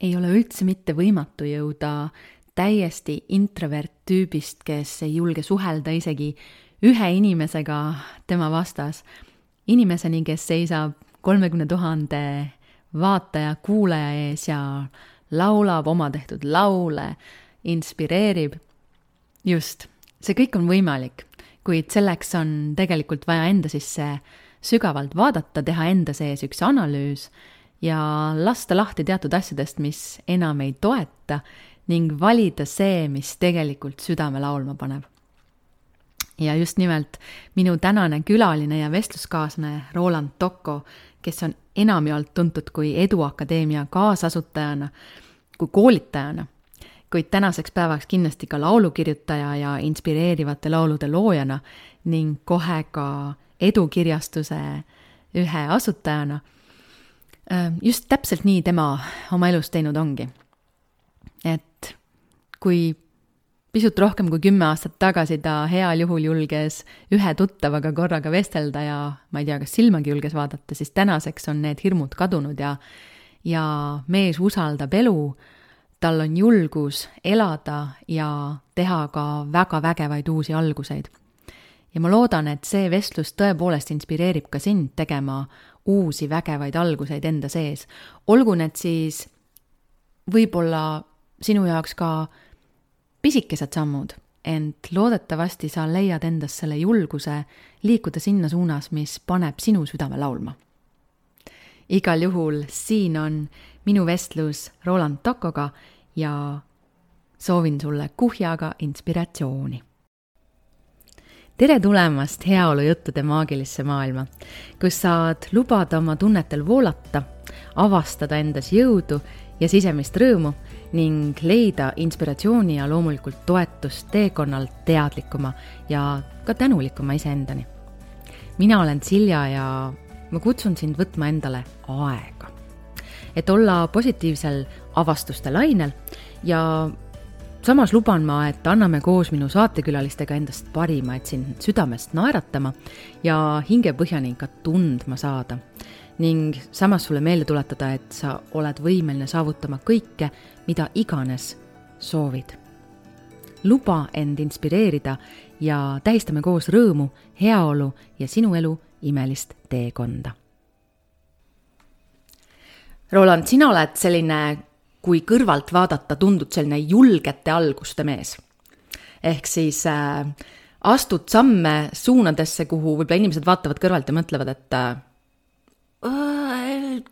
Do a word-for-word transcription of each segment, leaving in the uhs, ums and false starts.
ei ole üldse mitte võimatu jõuda täiesti introvert tüübist, kes ei julge suhelda isegi ühe inimesega tema vastas, inimeseni, kes seisab kolmekümne tuhande vaataja, kuulaja ees ja laulab oma tehtud laule, inspireerib. Just, see kõik on võimalik, kuid selleks on tegelikult vaja enda sisse sügavalt vaadata, teha enda sees üks analüüs ja lasta lahti teatud asjadest, mis enam ei toeta ning valida see, mis tegelikult südame laulma paneb. Ja just nimelt minu tänane külaline ja vestluskaaslane Roland Tocco, kes on enamjaolt tuntud kui Eduakadeemia kaasasutajana, kui koolitajana, kuid tänaseks päevaks kindlasti ka laulukirjutaja ja inspireerivate laulude loojana ning kohe ka edukirjastuse ühe asutajana. Just täpselt nii tema oma elus teinud ongi. Et kui pisut rohkem kui kümme aastat tagasi ta heal juhul julges ühe tuttavaga korraga vestelda ja ma ei tea, kas silmagi julges vaadata, siis tänaseks on need hirmud kadunud ja, ja mees usaldab elu, tal on julgus elada ja teha ka väga vägevaid uusi alguseid. Ja ma loodan, et see vestlus tõepoolest inspireerib ka sind tegema uusi vägevaid alguseid enda sees. Olgu need siis võib-olla sinu jaoks ka pisikesed sammud, ent loodetavasti sa leiad endas selle julguse liikuda sinna suunas, mis paneb sinu südame laulma. Igal juhul siin on minu vestlus Roland Toccoga ja soovin sulle kuhjaga inspiratsiooni. Tere tulemast heaolujuttude maagilisse maailma, kus saad lubada oma tunnetel voolata, avastada endas jõudu ja sisemist rõõmu ning leida inspiratsiooni ja loomulikult toetust teekonnalt teadlikuma ja ka tänulikuma iseendani. Mina olen Silja ja ma kutsun sind võtma endale aega, et olla positiivsel avastuste lainel ja samas luban ma, et anname koos minu saatekülalistega endast parima, et sind südamest naeratama ja hingepõhjani ka tundma saada. Ning samas sulle meelde tuletada, et sa oled võimeline saavutama kõike, mida iganes soovid. Luba end inspireerida ja tähistame koos rõõmu, heaolu ja sinu elu imelist teekonda. Roland, sina oled selline, kui kõrvalt vaadata, tundud selline julgete alguste mees. Ehk siis äh, astud samme suunadesse, kuhu võib-olla inimesed vaatavad kõrvalt ja mõtlevad, et äh,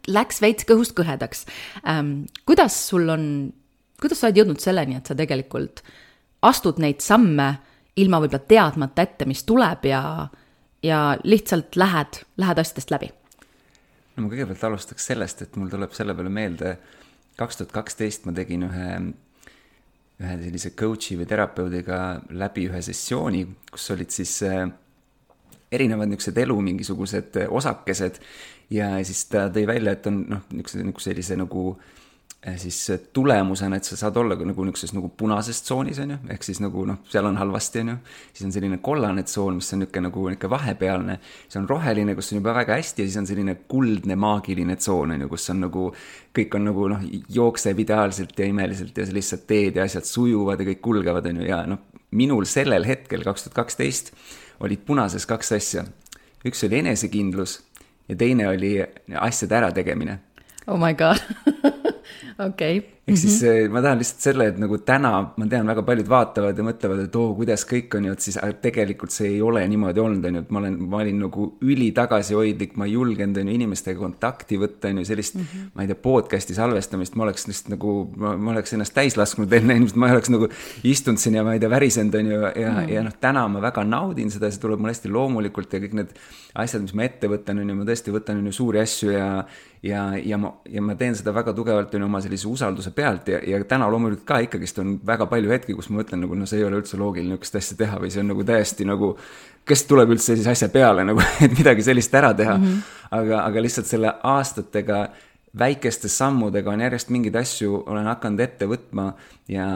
läks veits kõhust kõhedaks. Ähm, kuidas sul on, kuidas sa oled jõudnud selleni, et sa tegelikult astud neid samme ilma võib-olla teadmata ette, mis tuleb ja, ja lihtsalt lähed, lähed asjadest läbi? No ma kõigepealt alustaks sellest, et mul tuleb selle peale meelde, kaks tuhat kaksteist ma tegin ühe, ühe sellise coachi või terapeudiga läbi ühe sessiooni, kus olid siis erinevad niisugused elu mingisugused osakesed ja siis ta tõi välja, et on noh, niisuguse sellise nagu siis tulemusena, et sa saad olla nagu niisuguses nagu punases tsoonis, on ju, ehk siis nagu noh, seal on halvasti, on ju, siis on selline kollane tsoon, mis on niisugune nagu niisugune vahepealne, siis on roheline, kus on juba väga hästi ja siis on selline kuldne maagiline tsoon, on ju, kus on nagu, kõik on nagu noh, jookseb ideaalselt ja imeliselt ja sa lihtsalt teed ja asjad sujuvad ja kõik kulgevad, on ju, ja noh, minul sellel hetkel kaks tuhat kaksteist olid punases kaks asja. Üks oli enesekindlus ja teine oli asjade ärategemine. Oh my god. Okei. Okay. Ehk siis mm-hmm. ma tahan lihtsalt selle, et nagu täna, ma tean, väga paljud vaatavad ja mõtlevad, et oo, kuidas kõik on ju, et siis tegelikult see ei ole niimoodi olnud, on ju, et ma, olen, ma olin nagu üli tagasihoidlik, ma julgenud on ju inimestega kontakti võtta, on ju sellist, mm-hmm. ma ei tea, podcasti salvestamist, ma oleks lihtsalt nagu, ma, ma oleks ennast täis lasknud enne, ma oleks nagu istunud siin ja ma ei tea, värisend on ju, ja, mm-hmm. ja noh, täna ma väga naudin seda, see tuleb mul hästi loomulikult ja kõik need asjad, mis ma ette võtan, on ju, ma tõesti võtan on ju suuri asju ja Ja, ja, ma, ja ma teen seda väga tugevalt on oma sellise usalduse pealt ja, ja täna loomulikult ka ikkagist on väga palju hetki, kus ma mõtlen, nagu, no see ei ole üldse loogiline niisugust asja teha või see on nagu täiesti nagu, kes tuleb üldse siis asja peale, nagu, et midagi sellist ära teha. Mm-hmm. Aga, aga lihtsalt selle aastatega väikeste sammudega on järjest mingeid asju, olen hakanud ette võtma ja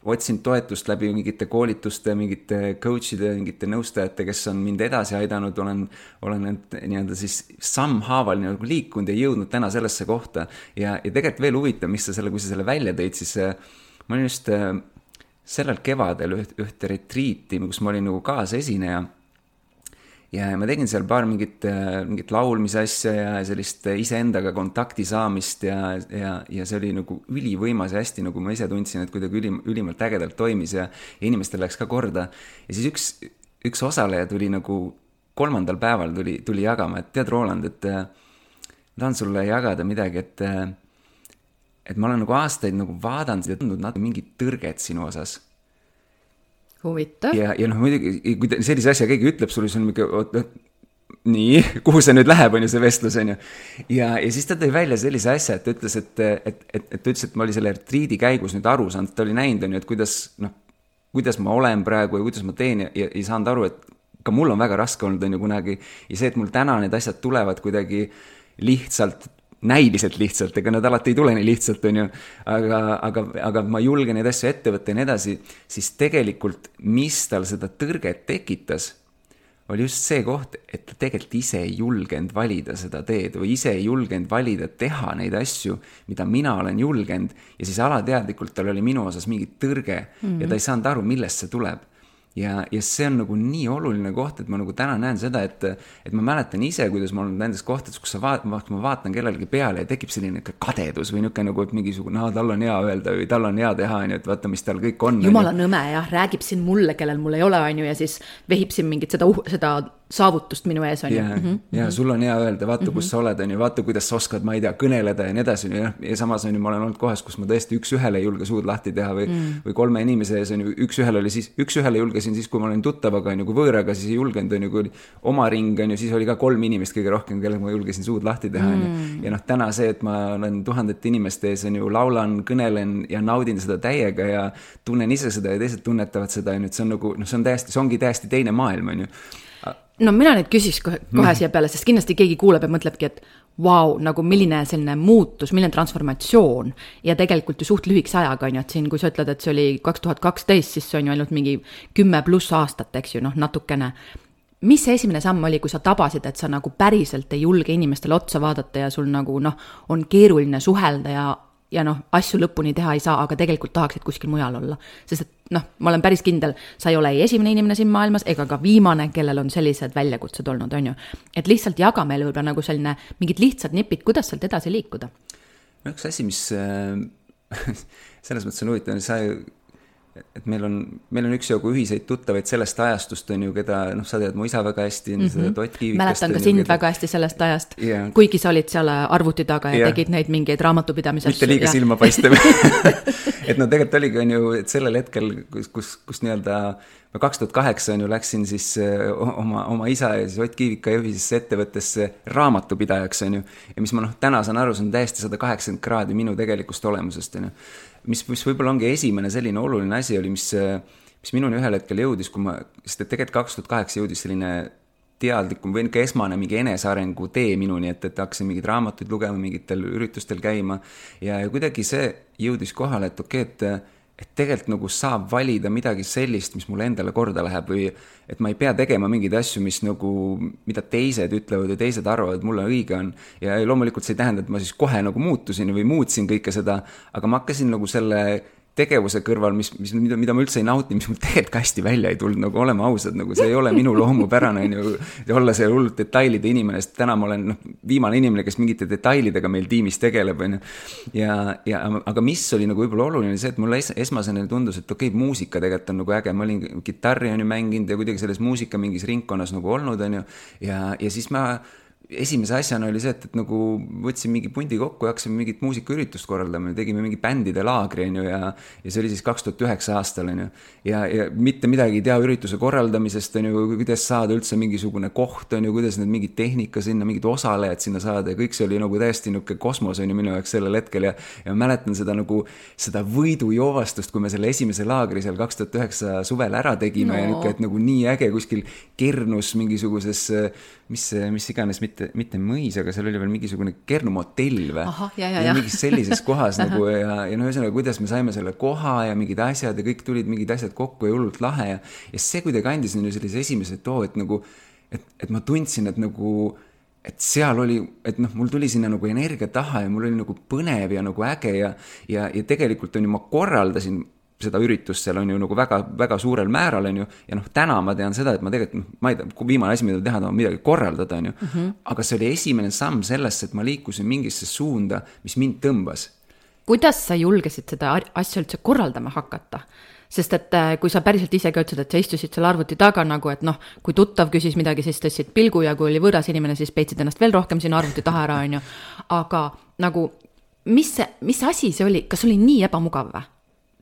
otsin toetust läbi mingite koolituste, mingite coach'ide, mingite nõustajate, kes on mind edasi aidanud, olen, olen need nii-öelda siis sammhaaval nii-öelda liikunud ja jõudnud täna sellesse kohta. Ja, ja tegelikult veel huvitav, mis sa selle, kui sa selle välja tõid, siis ma olin just sellel kevadel üht, ühte retriiti, kus ma olin nagu kaasesineja. Ja ma tegin seal paar mingit, mingit laulmise asja ja sellist iseendaga kontakti saamist ja, ja, ja see oli nagu ülivõimas ja hästi, nagu ma ise tundsin, et kuidagi ülim, ülimalt ägedalt toimis ja, ja inimestel läks ka korda. Ja siis üks, üks osaleja tuli nagu kolmandal päeval tuli, tuli jagama, et tead, Roland, et tahan sulle jagada midagi, et, et ma olen nagu aastaid nagu vaadanud ja tundnud natuke mingit tõrget sinu osas. Huvitav. Ja, ja noh, muidugi, kui sellise asja keegi ütleb sulle, see on mingi, oot, nii, kuhu see nüüd läheb, on ju see vestlus, on ju. Ja, ja siis ta tõi välja sellise asja, et ta ütles, et, et, et, et ta ütles, et ma oli selle retriidi käigus nüüd aru saanud, ta oli näinud, on ju, et kuidas, noh, kuidas ma olen praegu ja kuidas ma teen ja, ja ei saanud aru, et ka mul on väga raske olnud, on ju kunagi, ja see, et mul täna need asjad tulevad kuidagi lihtsalt, näiliselt lihtsalt, ega nad alati ei tule nii lihtsalt, on ju, aga, aga, aga ma julgen neid asju ette võtta ja nii edasi, siis tegelikult, mis tal seda tõrget tekitas, oli just see koht, et ta tegelikult ise ei julgenud valida seda teed või ise ei julgenud valida teha neid asju, mida mina olen julgenud ja siis alateadlikult tal oli minu osas mingi tõrge mm-hmm. ja ta ei saanud aru, millest see tuleb. Ja, ja see on nagu nii oluline koht, et ma nagu täna näen seda, et, et ma mäletan ise, kuidas ma olen nendes kohtades, kus sa vaat, ma vaatan kellelegi peale ja tekib selline kadedus või niisugune nagu, et mingisugune, no, tal on hea öelda või tal on hea teha, et vaata, mis tal kõik on. Jumala nõme, jah, räägib siin mulle, kellel mul ei ole, on ju, ja siis vehib siin mingit seda, seda saavutust minu ees, on ju. Ja, mm -hmm. ja sul on hea öelda, vaata, kus sa oled, on ju, vaata, kuidas sa oskad, ma ei tea, kõneleda ja nii edasi, ja, ja samas on ju, ma olen olnud kohas, kus ma tõesti üks ühele ei julge suud lahti teha või, mm. või kolme inimese ees on ju, üks ühele oli siis, üks ühele julgesin siis, kui ma olin tuttavaga, on ju, kui võõraga, siis ei julgenud, on ju, kui oli oma ring, on ju, siis oli ka kolm inimest kõige rohkem, kellega ma julgesin suud lahti teha, on ju. Ja noh, täna see, et ma olen tuhandete inimeste ees, on ju, laulan, kõnelen ja naudin seda täiega ja tunnen ise seda ja teised tunnetavad seda, on ju, et see on nagu, noh, see on täiesti, see ongi täiesti teine maailm, on ju. No mina nüüd küsiks kohe, kohe siia peale, sest kindlasti keegi kuuleb ja mõtlebki, et vau, wow, nagu milline selline muutus, milline transformatsioon ja tegelikult ju suht lühikese ajaga on ju, et siin, kui sa ütled, et see oli kaks tuhat kaksteist, siis see on ju ainult mingi kümme pluss aastat, eks ju, noh, natukene. Mis see esimene samm oli, kui sa tabasid, et sa nagu päriselt ei julge inimestele otsa vaadata ja sul nagu, noh, on keeruline suhelda ja ja noh, asju lõpuni teha ei saa, aga tegelikult tahaksid kuskil mujal olla. Sest et noh, ma olen päris kindel, sa ei ole ei esimene inimene siin maailmas ega ka viimane, kellel on sellised väljakutsed olnud, on ju. Et lihtsalt jaga meile võib-olla nagu selline mingid lihtsad nipid, kuidas sealt edasi liikuda? No üks asi, mis äh, selles mõttes on huvitav, sa et meil on, meil on üks jogu ühiseid tuttavaid sellest ajastust, on ju, keda, noh, sa tead mu isa väga hästi, mm -hmm. seda Ott Kiivikast. Mäletan ka sind keda... väga hästi sellest ajast, yeah. kuigi sa olid seal arvuti taga ja yeah. tegid neid mingeid raamatupidamisasju. Mitte liiga ja... silma paistev. Et no tegelikult oligi, on ju, et sellel hetkel, kus, kus, kus nii-öelda ma kaks tuhat kaheksa on ju läksin siis oma, oma isa ja siis Ott Kiivika juhisesse ettevõttesse raamatupidajaks, on ju. Ja mis ma noh, täna saan aru, see on täiesti sada kaheksakümmend kraadi minu tegelikust olemusest, on ju. Mis, mis võib-olla ongi esimene selline oluline asi oli, mis, mis minuni ühel hetkel jõudis, kui ma, sest et tegelikult kaks tuhat kaheksa jõudis selline teadlikum või ka esmane mingi enesearengu tee minuni, et, et hakkasin mingid raamatuid lugema, mingitel üritustel käima ja, ja kuidagi see jõudis kohale, et okei, et et tegelikult nagu saab valida midagi sellist, mis mulle endale korda läheb või et ma ei pea tegema mingeid asju, mis nagu, mida teised ütlevad ja teised arvavad, mulle õige on. Ja loomulikult see ei tähenda, et ma siis kohe nagu muutusin või muutsin kõike seda, aga ma hakkasin nagu selle tegevuse kõrval, mis, mis, mida, mida ma üldse ei nauti, mis mul tegelikult ka hästi välja ei tulnud, nagu olema ausad, nagu see ei ole minu loomupärane, on ju, olla see hullult detailide inimene, sest täna ma olen noh, viimane inimene, kes mingite detailidega meil tiimis tegeleb, on ju. Ja, ja, aga mis oli nagu võib-olla oluline see, et mulle es, esmasena tundus, et okei, muusika tegelikult on nagu äge, ma olin kitarri on ju mänginud ja kuidagi selles muusika mingis ringkonnas nagu olnud, on ju, ja, ja siis ma esimese asjana oli see, et, et nagu võtsin mingi pundi kokku ja hakkasime mingit muusikaüritust korraldama ja tegime mingi bändide laagri, on ju, ja, ja see oli siis kaks tuhat üheksa aastal, on ju. Ja, ja mitte midagi ei tea ürituse korraldamisest, on ju, kuidas saada üldse mingisugune koht, on ju, kuidas need mingid tehnika sinna, mingid osalejad sinna saada ja kõik see oli nagu täiesti niuke kosmos, on ju, minu jaoks sellel hetkel ja, ja mäletan seda nagu, seda võidujoovastust, kui me selle esimese laagri seal kaks tuhat üheksa suvel ära tegime no. Ja niuke, et nagu nii äge kuskil Kernus mingisuguses, mis, mis iganes, mitte mitte, mitte mõis, aga seal oli veel mingisugune Kernu motell või. Aha, ja, ja, ja. Mingis sellises kohas nagu ja, ja no ühesõnaga, kuidas me saime selle koha ja mingid asjad ja kõik tulid mingid asjad kokku ja hullult lahe ja, ja see kuidagi andis ju sellise esimese too, et nagu, et, et ma tundsin, et nagu et seal oli, et noh, mul tuli sinna nagu energia taha ja mul oli nagu põnev ja nagu äge ja, ja, ja tegelikult on ju, ma korraldasin seda üritust seal on ju nagu väga, väga suurel määral on ju, ja noh, täna ma tean seda, et ma tegelikult, noh, ma ei tea, viimane asi, mida teha, on midagi korraldada on ju, mm -hmm. aga see oli esimene samm sellest, et ma liikusin mingisse suunda, mis mind tõmbas. Kuidas sa julgesid seda asja üldse korraldama hakata? Sest et kui sa päriselt ise ka ütlesid, et sa istusid seal arvuti taga nagu, et noh, kui tuttav küsis midagi, siis tõstsid pilgu ja kui oli võõras inimene, siis peitsid ennast veel rohkem sinna arvuti taha ära, on ju. Aga nagu, mis, see, mis asi see oli? Kas oli nii ebamugav või?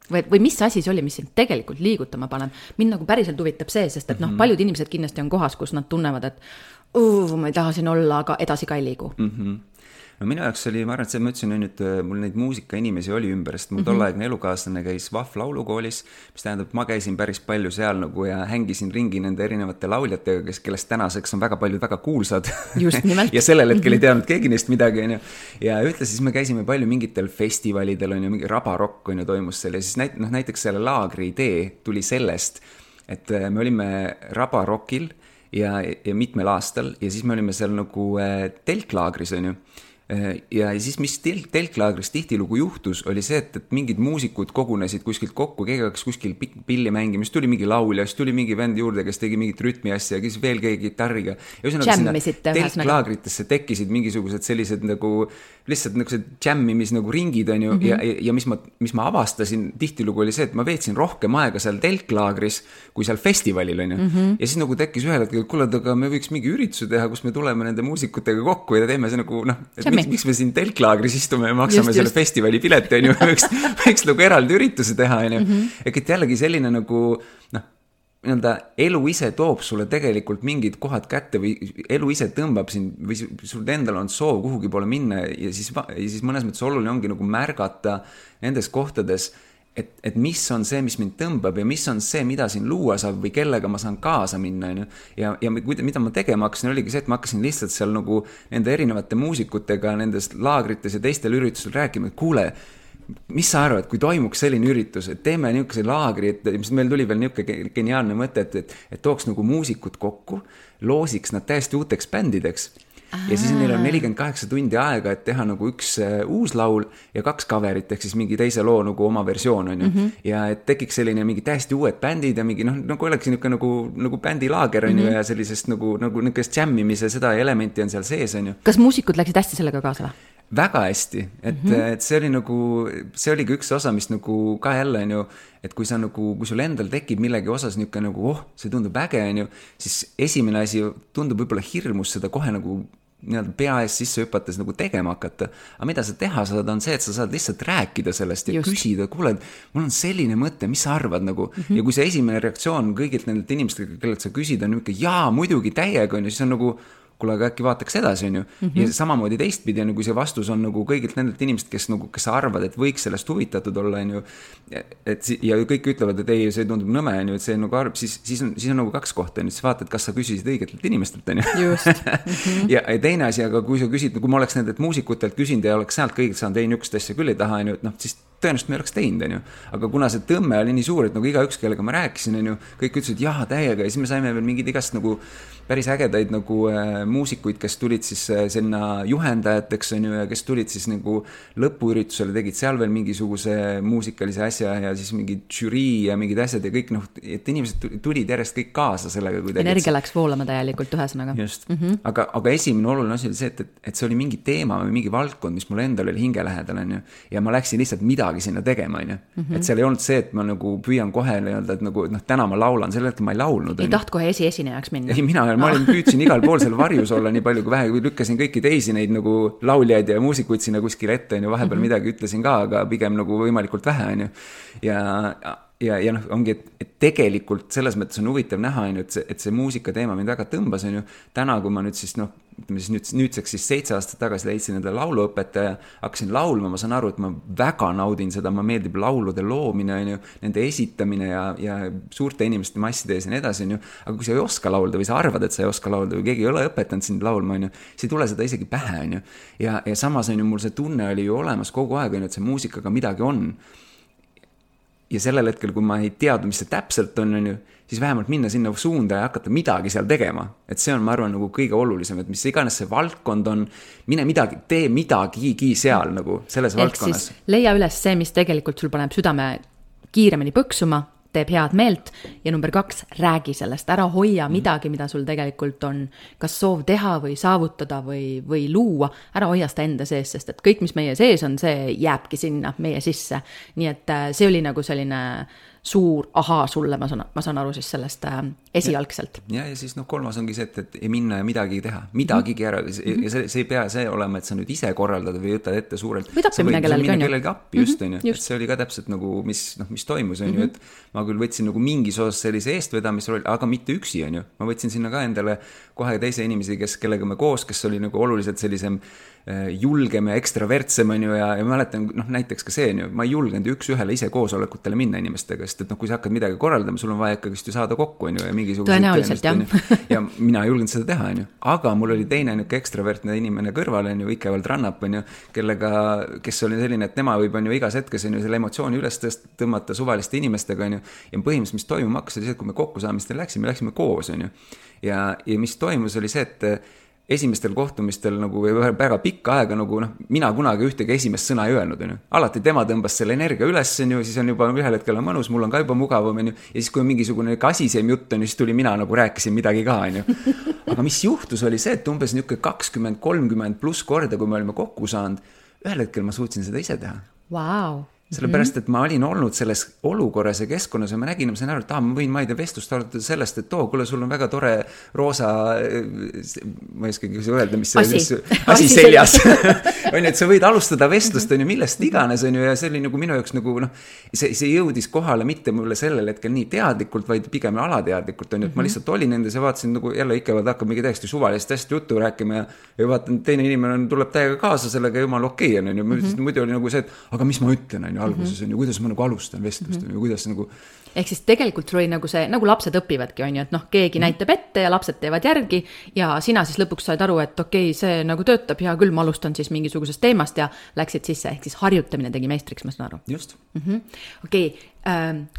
Või, või mis asi see oli, mis sind tegelikult liigutama paneb? Mind nagu päriselt huvitab see, sest et noh, paljud inimesed kindlasti on kohas, kus nad tunnevad, et uh, ma ei taha siin olla, aga edasi ka ei liigu. Mhm. No minu jaoks oli, ma arvan, et see, ma ütlesin nüüd, mul neid muusikainimesi oli ümber, sest mul tolleaegne elukaaslane käis V A F laulukoolis, mis tähendab, et ma käisin päris palju seal nagu ja hängisin ringi nende erinevate lauljatega, kes, kellest tänaseks on väga paljud väga kuulsad. Just nimelt. ja sellel hetkel ei teadnud keegi neist midagi, on ju. Ja ühtlasi siis me käisime palju mingitel festivalidel, on ju, mingi Rabarokk, on ju, toimus seal ja siis näit, noh, näiteks selle laagri idee tuli sellest, et me olime Rabarockil ja, ja mitmel aastal ja siis me olime seal nagu telklaagris, on ju. Ja siis, mis tel- telklaagris tihtilugu juhtus, oli see, et, et mingid muusikud kogunesid kuskilt kokku, keegi hakkas kuskil pilli mängima, siis tuli mingi laulja, siis tuli mingi vend juurde, kes tegi mingit rütmi asja, siis veel keegi gitarriga. Telklaagritesse tekkisid mingisugused sellised nagu, lihtsalt nagu see jammimis nagu ringid, on ju, mm -hmm. ja, ja mis ma, mis ma avastasin tihtilugu oli see, et ma veetsin rohkem aega seal telklaagris, kui seal festivalil, on ju. Mm -hmm. Ja siis nagu tekkis ühel hetkel, et kuule, aga me võiks mingi ürituse teha, kus me tuleme nende muusikutega kokku ja teeme see nagu, noh, Miks, miks me siin telklaagris istume ja maksame just, selle just. festivali pileti, on ju, võiks, võiks nagu eraldi ürituse teha, on ju. Mm -hmm. Et jällegi selline nagu, noh, nii-öelda elu ise toob sulle tegelikult mingid kohad kätte või elu ise tõmbab sind või sul endal on soov kuhugi poole minna ja siis, ja siis mõnes mõttes oluline ongi nagu märgata nendes kohtades, et, et mis on see, mis mind tõmbab ja mis on see, mida siin luua saab või kellega ma saan kaasa minna, on ju. Ja, ja mida ma tegema hakkasin, oligi see, et ma hakkasin lihtsalt seal nagu nende erinevate muusikutega nendes laagrites ja teistel üritustel rääkima, et kuule, mis sa arvad, kui toimuks selline üritus, et teeme niisuguse laagri, et mis meil tuli veel niisugune geniaalne mõte, et, et, et tooks nagu muusikud kokku, loosiks nad täiesti uuteks bändideks. Ja siis neil on nelikümmend kaheksa tundi aega, et teha nagu üks uh, uus laul ja kaks coverit, ehk siis mingi teise loo nagu oma versioon, on ju. Mm -hmm. Ja et tekiks selline mingi täiesti uued bändid ja mingi, noh, nagu oleks niisugune nagu, nagu bändilaager, on ju, mm -hmm. ja sellisest nagu, nagu niisugust jammimise seda elementi on seal sees, on ju. Kas muusikud läksid hästi sellega kaasa või? Väga hästi, et, mm -hmm. et see oli nagu, see oligi üks osa, mis nagu ka jälle on ju, et kui sa nagu, kui sul endal tekib millegi osas niisugune nagu, oh, see tundub äge, on ju, siis esimene asi tundub võib-olla hirmus seda kohe nagu nii-öelda pea ees sisse hüpates nagu tegema hakata. Aga mida sa teha saad, on see, et sa saad lihtsalt rääkida sellest ja just. Küsida, kuule, mul on selline mõte, mis sa arvad nagu. Mm -hmm. Ja kui see esimene reaktsioon kõigilt nendelt inimestega, kellelt sa küsid, on niisugune, jaa, muidugi täiega, on ju, siis on nagu, kuule, aga äkki vaataks edasi, on ju. Mm -hmm. Ja samamoodi teistpidi on, kui see vastus on nagu kõigilt nendelt inimest, kes nagu, kes arvad, et võiks sellest huvitatud olla, on ju. Et, ja kõik ütlevad, et ei, see tundub nõme, on ju, et see nagu arv, siis, siis, on, siis on nagu kaks kohta, on ju, siis vaatad, kas sa küsisid õigetelt inimestelt, on ju. Just. Mm -hmm. ja, ja teine asi, aga kui sa küsid, kui ma oleks nendelt muusikutelt küsinud ja oleks sealt kõigilt saanud, ei, niisugust asja küll ei taha, on ju, et noh, siis tõenäoliselt me oleks teinud, on ju. Aga kuna see tõmme oli nii suur, et nagu igaüks, kellega ma rääkisin, on ju, kõik ütlesid, jah, täiega, ja siis me saime veel mingid igast nagu päris ägedaid nagu äh, muusikuid, kes tulid siis äh, sinna juhendajateks, on ju, ja kes tulid siis nagu lõpuüritusele, tegid seal veel mingisuguse muusikalise asja ja siis mingid žürii ja mingid asjad ja kõik, noh, et inimesed tulid järjest kõik kaasa sellega. Energia läks voolama täielikult ühesõnaga. Just, mm -hmm. aga, aga esimene oluline asi oli see, et, et see oli mingi teema või mingi valdkond, mis mul endal oli hingelähedal, on ju, ja ma läksin lihtsalt midagi sinna tegema, on ju. Mm -hmm. Et seal ei olnud see, et ma nagu püüan kohe nii-öelda, et nagu, noh, täna ma laulan, selle hetkel ma ei laulnud. Ei taht kohe esi esinejaks minna? Ei, mina, ma olin, püüdsin igal pool seal varjus olla nii palju kui vähe, kui lükkasin kõiki teisi neid nagu lauljaid ja muusikuid sinna kuskil ette, on ju, vahepeal mm -hmm. midagi ütlesin ka, aga pigem nagu võimalikult vähe, on ju. Ja, ja, ja noh, ongi, et, et tegelikult selles mõttes on huvitav näha, on ju, et see, et see muusika teema mind väga tõmbas, on ju. Täna, kui ma nüüd siis, noh, ütleme siis nüüd, nüüdseks siis seitse aastat tagasi leidsin endale lauluõpetaja, hakkasin laulma, ma saan aru, et ma väga naudin seda, ma meeldib laulude loomine, on ju, nende esitamine ja, ja suurte inimeste masside ees ja nii edasi, on ju, aga kui sa ei oska laulda või sa arvad, et sa ei oska laulda või keegi ei ole õpetanud sind laulma, on ju, siis ei tule seda isegi pähe, on ju. Ja, ja samas on ju, mul see tunne oli ju olemas kogu aeg, on ju, et see muusikaga midagi on. Ja sellel hetkel, kui ma ei teadnud, mis see täpselt on, on ju, siis vähemalt minna sinna suunda ja hakata midagi seal tegema. Et see on, ma arvan, nagu kõige olulisem, et mis iganes see valdkond on, mine midagi, tee midagigi seal nagu selles ehk valdkonnas. Siis leia üles see, mis tegelikult sul paneb südame kiiremini põksuma, teeb head meelt ja number kaks, räägi sellest, ära hoia midagi, mida sul tegelikult on kas soov teha või saavutada või, või luua, ära hoia seda enda sees, sest et kõik, mis meie sees on, see jääbki sinna meie sisse. Nii et see oli nagu selline suur ahaa sulle, ma saan, ma saan aru siis sellest äh, esialgselt. Ja, ja siis noh, kolmas ongi see, et, et ei minna ja midagi teha, midagigi ära. Mm-hmm. Ja see, see ei pea see olema, et sa nüüd ise korraldad või võtad ette suurelt. Või tappi minna kellelgi, on ju. Kellelgi appi, just, on ju. Et see oli ka täpselt nagu, mis, noh, mis toimus, on ju, et ma küll võtsin nagu mingis osas sellise eestvedamisrolli, aga mitte üksi, on ju. Ma võtsin sinna ka endale kohe teise inimesi, kes, kellega me koos, kes oli nagu oluliselt sellisem julgem ja ekstravertsem, on ju, ja, ja mäletan, noh, näiteks ka see, on ju, ma ei julgenud üks ühele ise koosolekutele minna inimestega, sest et noh, kui sa hakkad midagi korraldama, sul on vaja ikkagist ju saada kokku, on ju, ja mingisugused tõenäoliselt, jah. ja mina ei julgenud seda teha, on ju, aga mul oli teine niuke ekstravertne inimene kõrval, on ju, Ikevald Rannap, on ju, kellega, kes oli selline, et tema võib, on ju, igas hetkes, on ju, selle emotsiooni üles tõmmata suvaliste inimestega, on ju, ja põhimõtteliselt, mis toimuma hakkas, oli see, et kui me kokkusaamistel läksime, läksime koos, on ju, ja, ja mis toimus, oli see, et esimestel kohtumistel nagu väga pikka aega nagu noh, mina kunagi ühtegi esimest sõna ei öelnud, on ju. Alati tema tõmbas selle energia üles, on ju, siis on juba ühel hetkel on mõnus, mul on ka juba mugavam, on ju, ja siis kui on mingisugune asisem jutt, on ju, siis tuli mina nagu rääkisin midagi ka, on ju. Aga mis juhtus oli see, et umbes niuke kakskümmend kolmkümmend pluss korda, kui me olime kokku saanud, ühel hetkel ma suutsin seda ise teha. Wow. Sellepärast, et ma olin olnud selles olukorras ja keskkonnas ja ma nägin, ma sain aru, et ah, ma võin, ma ei tea, vestlust arutada sellest, et too, kuule, sul on väga tore roosa, ma ei oskagi öelda, mis see asi, asi seljas. On ju, et sa võid alustada vestlust, on ju, millest iganes, on ju, ja see oli nagu minu jaoks nagu, noh, see, see jõudis kohale mitte mulle sellel hetkel nii teadlikult, vaid pigem alateadlikult, on ju, et ma lihtsalt olin nendes ja vaatasin nagu jälle Ikevald hakkab mingi täiesti suvalist hästi juttu rääkima ja, ja vaatan, teine inimene tuleb täiega kaasa sellega jumal okei, on ju, muidu oli nagu see, et aga mis ma ütlen, on ju, alguses on ju, kuidas ma nagu alustan vestlust, on ju, kuidas nagu... Ehk siis tegelikult sul oli nagu see, nagu lapsed õpivadki, on ju, et noh, keegi näitab ette ja lapsed teevad järgi ja sina siis lõpuks said aru, et okei, see nagu töötab, hea küll, ma alustan siis mingisugusest teemast ja läksid sisse, ehk siis harjutamine tegi meistriks, ma saan aru. Just. Mm-hmm. Okei,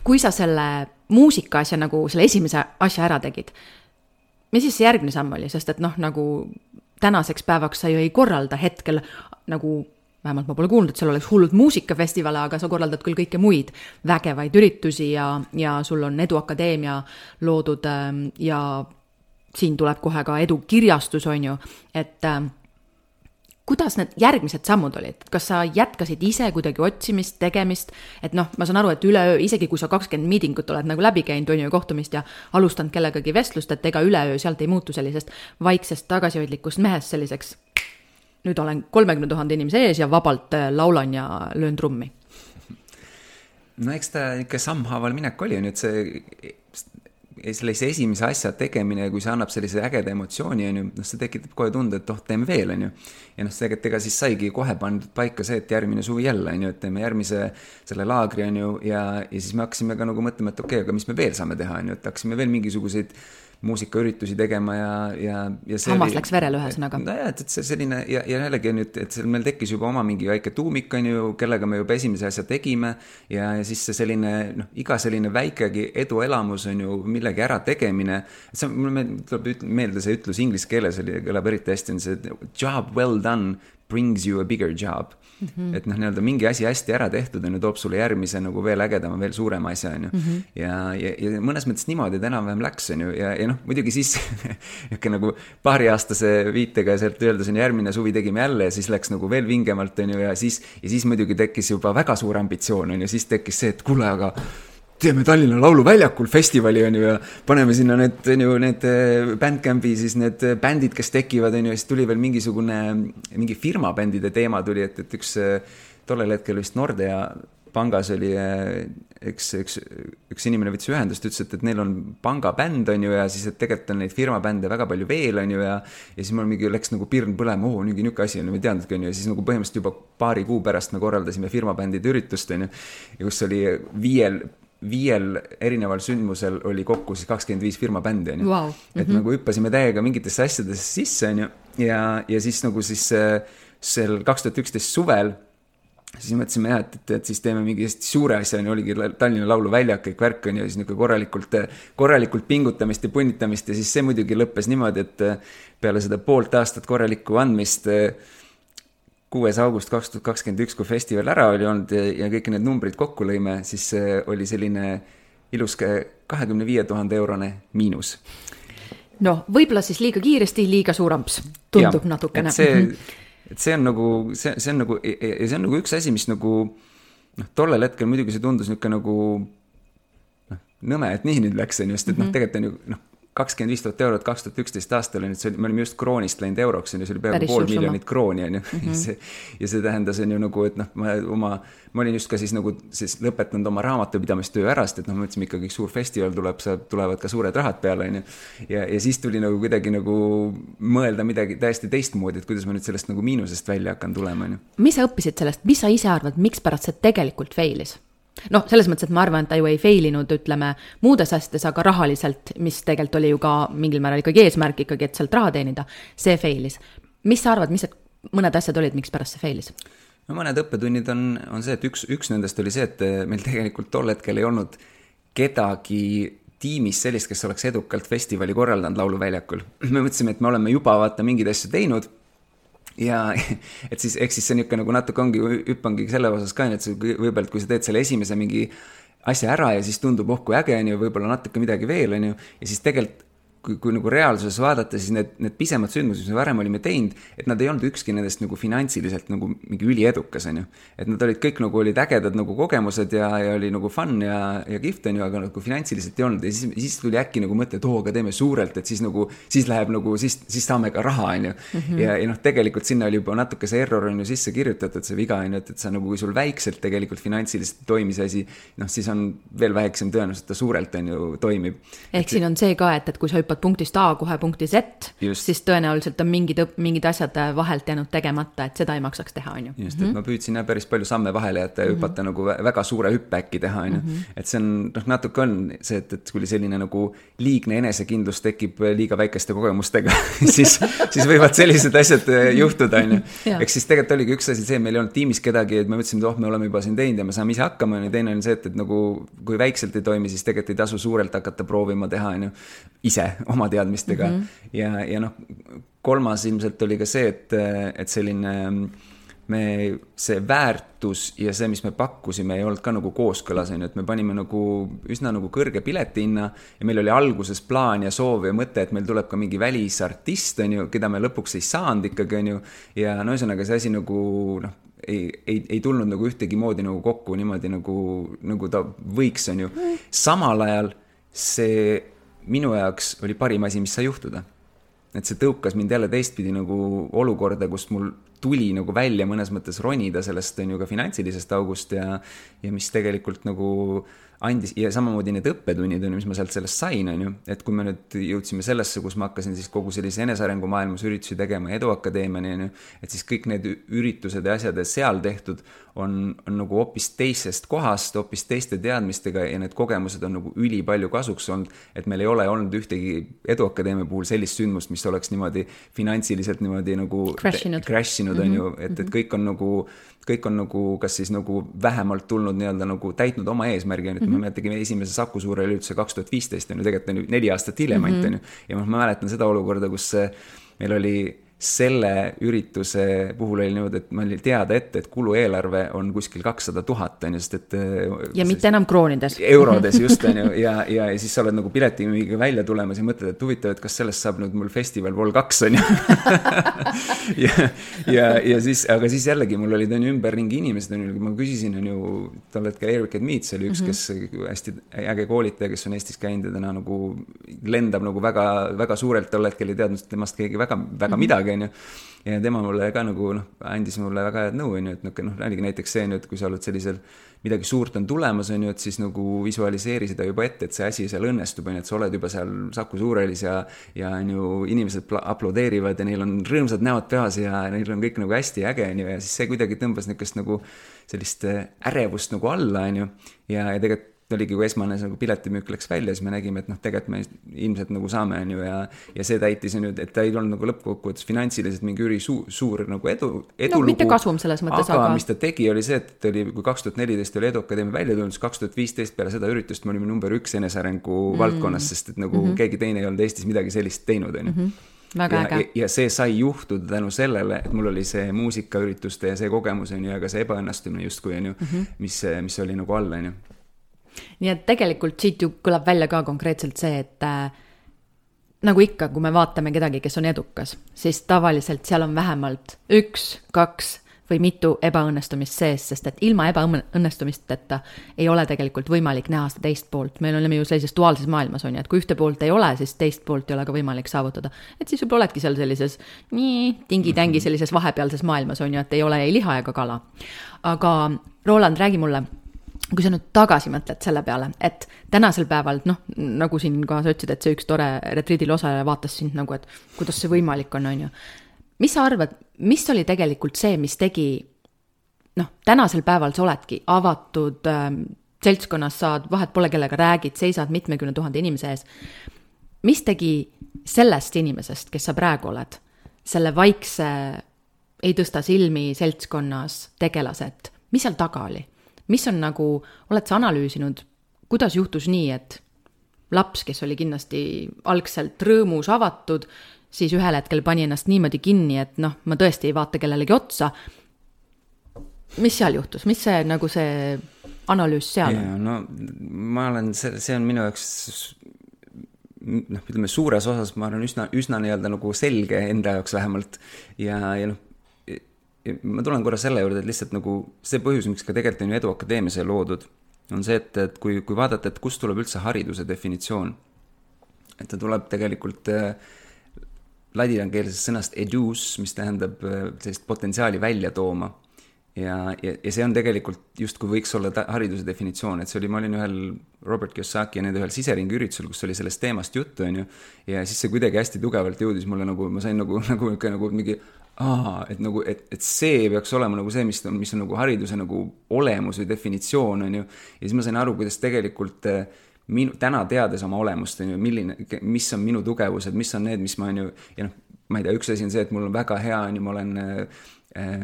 kui sa selle muusika asja nagu selle esimese asja ära tegid, mis siis see järgmine samm oli, sest et noh, nagu tänaseks päevaks sa ju ei korralda hetkel nagu vähemalt ma pole kuulnud, et seal oleks hullud muusikafestivale, aga sa korraldad küll kõike muid vägevaid üritusi ja, ja sul on Eduakadeemia loodud ja siin tuleb kohe ka Edukirjastus, on ju, et äh, kuidas need järgmised sammud olid? Kas sa jätkasid ise kuidagi otsimist, tegemist, et noh, ma saan aru, et üleöö, isegi kui sa kakskümmend miidingut oled nagu läbi käinud, on ju, kohtumist ja alustanud kellegagi vestlust, et ega üleöö sealt ei muutu sellisest vaiksest tagasihoidlikust mehest selliseks nüüd olen kolmekümne tuhande inimese ees ja vabalt laulan ja löön trummi. No eks ta ikka sammhaaval minek oli, nüüd see, sellise esimese asja tegemine, kui see annab sellise ägeda emotsiooni, on ju, noh, see tekitab kohe tunde, et oh, teeme veel, on ju. Ja noh, see ega siis saigi kohe pandud paika see, et järgmine suvi jälle, on ju, et teeme järgmise selle laagri, on ju, ja, ja siis me hakkasime ka nagu mõtlema, et okei, aga mis me veel saame teha, on ju, et hakkasime veel mingisuguseid muusikaüritusi tegema ja, ja, ja see Hammas oli, läks verele ühesõnaga. No jah, et, et see selline, ja, ja jällegi on nüüd, et meil tekkis juba oma mingi väike tuumik, on ju, kellega me juba esimese asja tegime ja, ja siis see selline, noh, iga selline väikegi eduelamus on ju millegi ära tegemine, et see, mulle tuleb meelde see ütlus inglise keeles, oli, kõlab eriti hästi, on see job well done brings you a bigger job. Mm-hmm. Et noh, nii-öelda mingi asi hästi ära tehtud on ju, toob sulle järgmise nagu veel ägedama, veel suurema asja on ju. Mm-hmm. Ja, ja, ja mõnes mõttes niimoodi, et enam-vähem läks on ju, ja, ja noh, muidugi siis nagu paariaastase viitega sealt öeldes on järgmine suvi tegime jälle ja siis läks nagu veel vingemalt on ju, ja siis, ja siis muidugi tekkis juba väga suur ambitsioon on ju, siis tekkis see, et kuule, aga teeme Tallinna Lauluväljakul festivali on ju ja paneme sinna need, on ju, need Bandcampi siis need bändid, kes tekivad on ju, ja siis tuli veel mingisugune mingi firmabändide teema tuli, et, et üks tollel hetkel vist Nordea pangas oli üks, üks, üks inimene võttis ühendust, ütles, et, et neil on pangabänd, on ju, ja siis, et tegelikult on neid firmabände väga palju veel, on ju, ja ja siis mul mingi läks nagu pirn põlema, oo, mingi niuke asi on, me teadnudki, on ju, ja siis nagu põhimõtteliselt juba paari kuu pärast me korraldasime firmabändide üritust, on ju, ja kus oli viiel viiel erineval sündmusel oli kokku siis kakskümmend viis firmabändi, on ju. Wow. Et mm-hmm. nagu hüppasime täiega mingitesse asjadesse sisse, on ju, ja, ja siis nagu siis sel kaks tuhat üksteist suvel siis mõtlesime jah, et, et, et siis teeme mingi suure asja, on ju, oligi Tallinna lauluväljak, kõik värk, on ju, ja siis niisugune korralikult, korralikult pingutamist ja punnitamist, ja siis see muidugi lõppes niimoodi, et peale seda poolt aastat korralikku andmist kuues august kaks tuhat kakskümmend üks, kui festival ära oli olnud ja, ja kõik need numbrid kokku lõime, siis oli selline ilus kahekümne viie tuhande eurone miinus. No, võib-olla siis liiga kiiresti, liiga suuramps. Tundub ja, natukene. Et see, et see on nagu, see, see on nagu, ja see on nagu üks asi, mis nagu, noh, tollel hetkel muidugi see tundus niuke nagu, noh, nõme, et nii nüüd läks, just, et mm-hmm. noh, tegelikult on ju, noh, kakskümmend viis tuhat eurot kaks tuhat üksteist aastal, nüüd see oli, me olime just kroonist läinud euroks, ja see oli peaaegu pool miljonit krooni, on ju. Mm-hmm. See, ja see tähendas, on ju nagu, et noh, ma, oma, ma olin just ka siis nagu siis lõpetanud oma raamatupidamistöö ära, sest et noh, ma mõtlesime ikkagi suur festival tuleb, saab, tulevad ka suured rahad peale, on ju. Ja, ja siis tuli nagu kuidagi nagu mõelda midagi täiesti teistmoodi, et kuidas ma nüüd sellest nagu miinusest välja hakkan tulema, on ju. Mis sa õppisid sellest? Mis sa ise arvad, miks pärast see tegelikult failis? Noh, selles mõttes, et ma arvan, et ta ju ei failinud, ütleme, muudes asjades, aga rahaliselt, mis tegelikult oli ju ka mingil määral ikkagi eesmärk ikkagi, et sealt raha teenida, see failis. Mis sa arvad, mis mõned asjad olid, miks pärast see failis? No mõned õppetunnid on, on see, et üks, üks nendest oli see, et meil tegelikult tol hetkel ei olnud kedagi tiimis sellist, kes oleks edukalt festivali korraldanud lauluväljakul. Me mõtlesime, et me oleme juba vaata mingid asju teinud, ja et siis, eks siis see niuke nagu natuke ongi, hüppangi selle osas ka, et võib-olla, kui sa teed selle esimese mingi asja ära ja siis tundub, oh kui äge on ju, võib-olla natuke midagi veel on ju, ja siis tegelikult kui, kui nagu reaalsuses vaadata, siis need, need pisemad sündmused, mis me varem olime teinud, et nad ei olnud ükski nendest nagu finantsiliselt nagu mingi üliedukas, on ju. Et nad olid kõik nagu olid ägedad nagu kogemused ja, ja oli nagu fun ja, ja gift, on ju, aga nagu finantsiliselt ei olnud. Ja siis, siis tuli äkki nagu mõte, et oo, aga teeme suurelt, et siis nagu, siis läheb nagu, siis, siis saame ka raha, on ju. Mm-hmm. Ja, ja noh, tegelikult sinna oli juba natuke see error on ju sisse kirjutatud, see viga on ju, et, et sa nagu, kui sul väikselt tegelikult finantsiliselt toimis asi, noh, siis on veel väiksem tõenäoliselt, ta suurelt on ju toimib. Ehk et, siin on see ka, et, et kui sa hüppad punktist A kohe punkti Z, just. Siis tõenäoliselt on mingid, mingid asjad vahelt jäänud tegemata, et seda ei maksaks teha, on ju. Just, et mm-hmm. ma püüdsin jah päris palju samme vahele jätta ja mm-hmm. hüpata nagu väga suure hüppe äkki teha, on ju. Mm-hmm. Et see on, noh, natuke on see, et, et kui selline nagu liigne enesekindlus tekib liiga väikeste kogemustega, siis, siis võivad sellised asjad juhtuda, on ju. Eks siis tegelikult oligi üks asi see, meil ei olnud tiimis kedagi, et me mõtlesime, et oh, me oleme juba siin teinud ja me saame ise hakkama, ja teine on see, et, et nagu, kui väikselt ei toimi, siis tegelikult ei tasu suurelt hakata proovima teha, on ju, ise oma teadmistega mm-hmm. ja, ja noh, kolmas ilmselt oli ka see, et, et selline me, see väärtus ja see, mis me pakkusime, ei olnud ka nagu kooskõlas, on ju, et me panime nagu üsna nagu kõrge piletihinna ja meil oli alguses plaan ja soov ja mõte, et meil tuleb ka mingi välisartist, on ju, keda me lõpuks ei saanud ikkagi, on ju, ja no ühesõnaga see asi nagu, noh, ei, ei, ei tulnud nagu ühtegi moodi nagu kokku niimoodi nagu, nagu ta võiks, on ju. Samal ajal see minu jaoks oli parim asi, mis sai juhtuda. Et see tõukas mind jälle teistpidi nagu olukorda, kus mul tuli nagu välja mõnes mõttes ronida sellest on ju ka finantsilisest august ja, ja mis tegelikult nagu andis, ja samamoodi need õppetunnid on, mis ma sealt sellest sain, on ju, et kui me nüüd jõudsime sellesse, kus ma hakkasin siis kogu sellise enesearengu maailmas üritusi tegema Eduakadeemiani, on ju, et siis kõik need üritused ja asjad seal tehtud on, on nagu hoopis teisest kohast, hoopis teiste teadmistega ja need kogemused on nagu üli palju kasuks olnud, et meil ei ole olnud ühtegi Eduakadeemia puhul sellist sündmust, mis oleks niimoodi finantsiliselt niimoodi nagu crashinud, crashinud on ju, et, et kõik on nagu kõik on nagu, kas siis nagu vähemalt tulnud nii-öelda nagu täitnud oma eesmärgi, et mm-hmm. me tegime esimese Saku suure ürituse kaks tuhat viisteist, on ju, tegelikult on ju neli aastat hiljem mm-hmm. ainult, on ju, ja ma mäletan seda olukorda, kus meil oli selle ürituse puhul oli niimoodi, et ma oli teada ette, et kulueelarve on kuskil kakssada tuhat, on just, et ja mitte enam kroonides. Eurodes just, on ju, ja, ja, ja siis sa oled nagu piletiga välja tulemas ja mõtled, et huvitav, et kas sellest saab nüüd mul festival Vol kaks, on ju. ja, ja, ja siis, aga siis jällegi mul olid on ju ümberringi inimesed, on ju, ma küsisin, on ju, tol hetkel Eric Edmeets oli üks, mm-hmm. kes hästi äge koolitaja, kes on Eestis käinud ja täna nagu lendab nagu väga, väga suurelt tol hetkel ei teadnud temast keegi väga, väga midagi, midagi, on ju. Ja tema mulle ka nagu, noh, andis mulle väga head nõu, on ju, et noh, oligi näiteks see, et kui sa oled sellisel, midagi suurt on tulemas, on ju, et siis nagu visualiseeri seda juba ette, et see asi seal õnnestub, on ju, et sa oled juba seal Saku Suurhallis ja, ja on ju, inimesed aplodeerivad ja neil on rõõmsad näod peas ja neil on kõik nagu hästi äge, on ju, ja siis see kuidagi tõmbas niisugust nagu sellist ärevust nagu alla, on ju, ja, ja tegelikult oligi, kui esmane nagu piletimüük läks välja, siis me nägime, et noh, tegelikult me ilmselt nagu saame, on ju, ja, ja see täitis nüüd, et ta ei olnud nagu lõppkokkuvõttes finantsiliselt mingi üri suur, suur nagu edu, edulugu. No mitte kasum selles mõttes, aga, aga mis ta tegi, oli see, et oli, kui kaks tuhat neliteist oli Edu Akadeemia välja tulnud, siis kaks tuhat viisteist peale seda üritust me olime number üks enesearengu mm. valdkonnas, sest et nagu mm -hmm. keegi teine ei olnud Eestis midagi sellist teinud, on ju. Väga ja, ja, ja see sai juhtuda tänu sellele, et mul oli see muusikaürituste ja see kogemus, on ju, aga see ebaõnnestumine justkui, on ju, mm -hmm. mis, mis oli nagu all, on ju. Nii et tegelikult siit ju kõlab välja ka konkreetselt see, et äh, nagu ikka, kui me vaatame kedagi, kes on edukas, siis tavaliselt seal on vähemalt üks, kaks või mitu ebaõnnestumist sees, sest et ilma ebaõnnestumisteta ei ole tegelikult võimalik näha seda teist poolt. Meil oleme ju sellises duaalses maailmas, on ju, et kui ühte poolt ei ole, siis teist poolt ei ole ka võimalik saavutada. Et siis võib oledki seal sellises nii tingi-tängi sellises vahepealses maailmas, on ju, et ei ole ei liha ega kala. Aga Roland, räägi mulle, kui sa nüüd tagasi mõtled selle peale, et tänasel päeval, noh, nagu siin ka sa ütlesid, et see üks tore retriidil osaleja vaatas sind nagu, et kuidas see võimalik on, on ju. Mis sa arvad, mis oli tegelikult see, mis tegi, noh, tänasel päeval sa oledki avatud äh, seltskonnas, saad, vahet pole kellega räägid, seisad mitmekümne tuhande inimese ees. Mis tegi sellest inimesest, kes sa praegu oled, selle vaikse, ei tõsta silmi seltskonnas tegelased, mis seal taga oli? Mis on nagu, oled sa analüüsinud, kuidas juhtus nii, et laps, kes oli kindlasti algselt rõõmus avatud, siis ühel hetkel pani ennast niimoodi kinni, et noh, ma tõesti ei vaata kellelegi otsa. Mis seal juhtus? Mis see, nagu see analüüs seal on? Ja, no ma olen, see, see on minu jaoks, noh, ütleme suures osas, ma olen üsna, üsna nii-öelda nagu selge enda jaoks vähemalt ja, ja noh, ma tulen korra selle juurde, et lihtsalt nagu see põhjus, miks ka tegelikult on ju Edu Akadeemias loodud, on see, et, et kui, kui vaadata, et kust tuleb üldse hariduse definitsioon, et ta tuleb tegelikult ladinakeelsest sõnast educe, mis tähendab sellist potentsiaali välja tooma. Ja, ja, ja see on tegelikult just kui võiks olla ta, hariduse definitsioon, et see oli, ma olin ühel Robert Kiyosaki ja nende ühel siseringi üritusel, kus oli sellest teemast juttu, on ju, ja siis see kuidagi hästi tugevalt jõudis mulle nagu, ma sain nagu, nagu, nagu mingi, aa, et, nagu, et, et see peaks olema nagu see, mis on, mis on nagu hariduse nagu olemus või definitsioon, on ju, ja siis ma sain aru, kuidas tegelikult minu, täna teades oma olemust, on ju, milline, mis on minu tugevused, mis on need, mis ma on ju, ja noh, ma ei tea, üks asi on see, et mul on väga hea, on ju, ma olen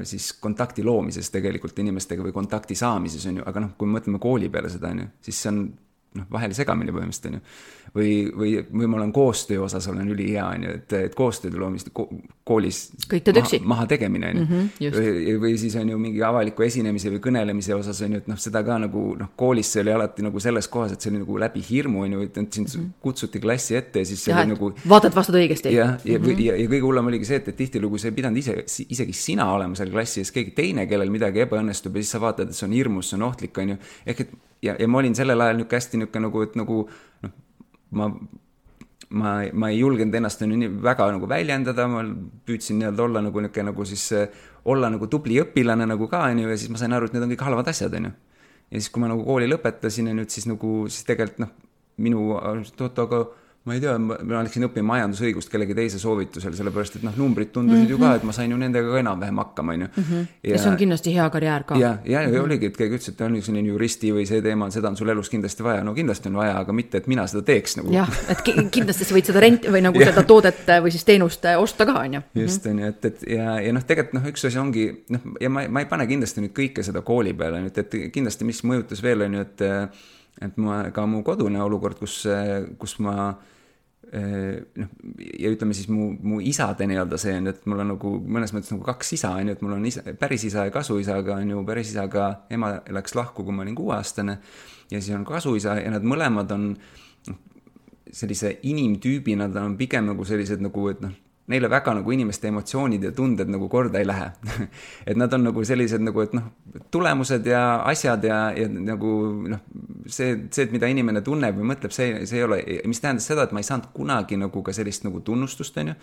siis kontakti loomises tegelikult inimestega või kontakti saamises, on ju, aga noh, kui me mõtleme kooli peale seda, on ju, siis see on noh, vahel segamine põhimõtteliselt, on ju. Või, või, või ma olen koostöö osas, olen üli hea, on ju, et, et koostööd loomist koolis maha, maha tegemine, on ju. Mm-hmm, või, või siis on ju mingi avaliku esinemise või kõnelemise osas, on ju, et noh, seda ka nagu, noh, koolis see oli alati nagu selles kohas, et see oli nagu läbi hirmu, on ju, et sind mm-hmm. kutsuti klassi ette ja siis see ja, oli nagu... Vaatad vastad õigesti. Ja, ja, mm-hmm. ja, ja kõige hullem oligi see, et, et tihtilugu see ei pidanud ise, isegi sina olema seal klassi ees, keegi teine, kellel midagi ebaõnnestub ja siis sa vaatad, et see on hirmus, see on ohtlik, on ju. Ehk et ja, ja ma olin sellel ajal niuke hästi niuke nagu, et nagu noh, ma, ma, ma ei julgenud ennast nii väga nagu väljendada, ma püüdsin nii-öelda olla nagu niuke nagu siis olla nagu tubli õpilane nagu ka, on ju, ja siis ma sain aru, et need on kõik halvad asjad, on ju. Ja siis, kui ma nagu kooli lõpetasin ja nüüd siis nagu, siis tegelikult noh, minu, toota, aga ma ei tea, ma läksin õppima majandusõigust kellegi teise soovitusel, sellepärast, et noh, numbrid tundusid mm-hmm. ju ka, et ma sain ju nendega ka enam-vähem hakkama, on ju. Mm-hmm. Ja see on kindlasti hea karjäär ka. Ja, ja, mm-hmm. ja oligi, et keegi ütles, et on selline juristi või see teema, seda on sul elus kindlasti vaja. No kindlasti on vaja, aga mitte, et mina seda teeks nagu. Jah, et kindlasti sa võid seda renti või nagu seda toodet või siis teenust osta ka, on ju. Just, on ju, et, et ja, ja noh, tegelikult noh, üks asi ongi, noh, ja ma, ma ei pane kindlasti nüüd kõike seda kooli peale, et, et kindlasti mis mõjutas veel, on ju, et, et ma, ka mu kodune olukord, kus, kus ma noh, ja ütleme siis mu, mu isade nii-öelda see on, et mul on nagu mõnes mõttes nagu kaks isa, on ju, et mul on isa, päris isa ja kasuisa, aga on ju päris isaga ema läks lahku, kui ma olin kuueaastane ja siis on kasuisa ja nad mõlemad on sellise inimtüübi, nad on pigem nagu sellised nagu, et noh, neile väga nagu inimeste emotsioonid ja tunded nagu korda ei lähe. et nad on nagu sellised nagu, et noh, tulemused ja asjad ja, ja nagu noh, see, see, et mida inimene tunneb või mõtleb, see, see ei ole, mis tähendas seda, et ma ei saanud kunagi nagu ka sellist nagu tunnustust, on ju.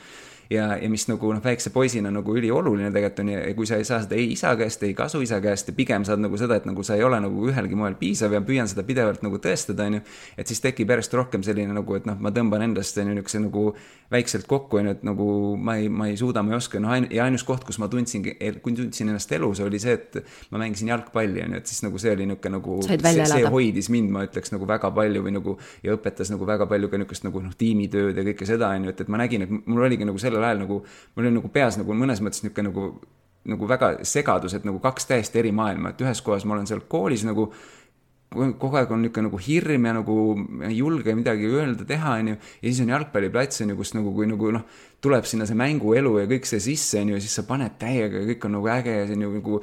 Ja, ja mis nagu noh, väikse poisina nagu ülioluline tegelikult on ja kui sa ei saa seda ei isa käest, ei kasu isa käest ja pigem saad nagu seda, et nagu sa ei ole nagu ühelgi moel piisav ja püüan seda pidevalt nagu tõestada, on ju, et siis tekib järjest rohkem selline nagu, et noh, ma tõmban endast niisuguse nagu väikselt kokku, on ju, et nagu ma ei, ma ei suuda, ma ei oska, noh, ja ainus koht, kus ma tundsin, kui tundsin ennast elus, oli see, et ma mängisin jalgpalli, on ju, et siis nagu see oli niisugune nagu, see, see hoidis mind, ma ütleks nagu väga palju või nagu ja õpetas nagu väga palju ka niisugust nagu noh, tiimitööd ja kõike seda, on ju, et, et ma nägin, et mul oligi nagu sellel ajal nagu, mul oli nagu peas nagu mõnes mõttes niisugune nagu, nagu väga segadus, et nagu kaks täiesti eri maailma, et ühes kohas ma olen seal koolis nagu kogu aeg on niisugune nagu hirm ja nagu ei julge midagi öelda, teha, on ju, ja siis on jalgpalliplats, on ju, kus nagu, kui nagu noh, tuleb sinna see mänguelu ja kõik see sisse, on ju, ja siis sa paned täiega ja kõik on nagu äge ja see on ju nagu,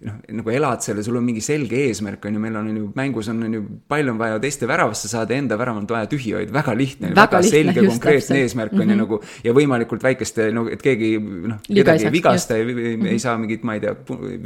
noh, nagu elad selle, sul on mingi selge eesmärk, on ju, meil on ju mängus on, on ju, palju on vaja teiste väravasse saada, enda värav on vaja tühihoid, väga lihtne, väga, väga lihtne, selge, konkreetne eesmärk on mm -hmm. ju nagu, ja võimalikult väikeste, no, et keegi, noh, kedagi ei vigasta, ei, ei, ei saa mingit, ma ei tea,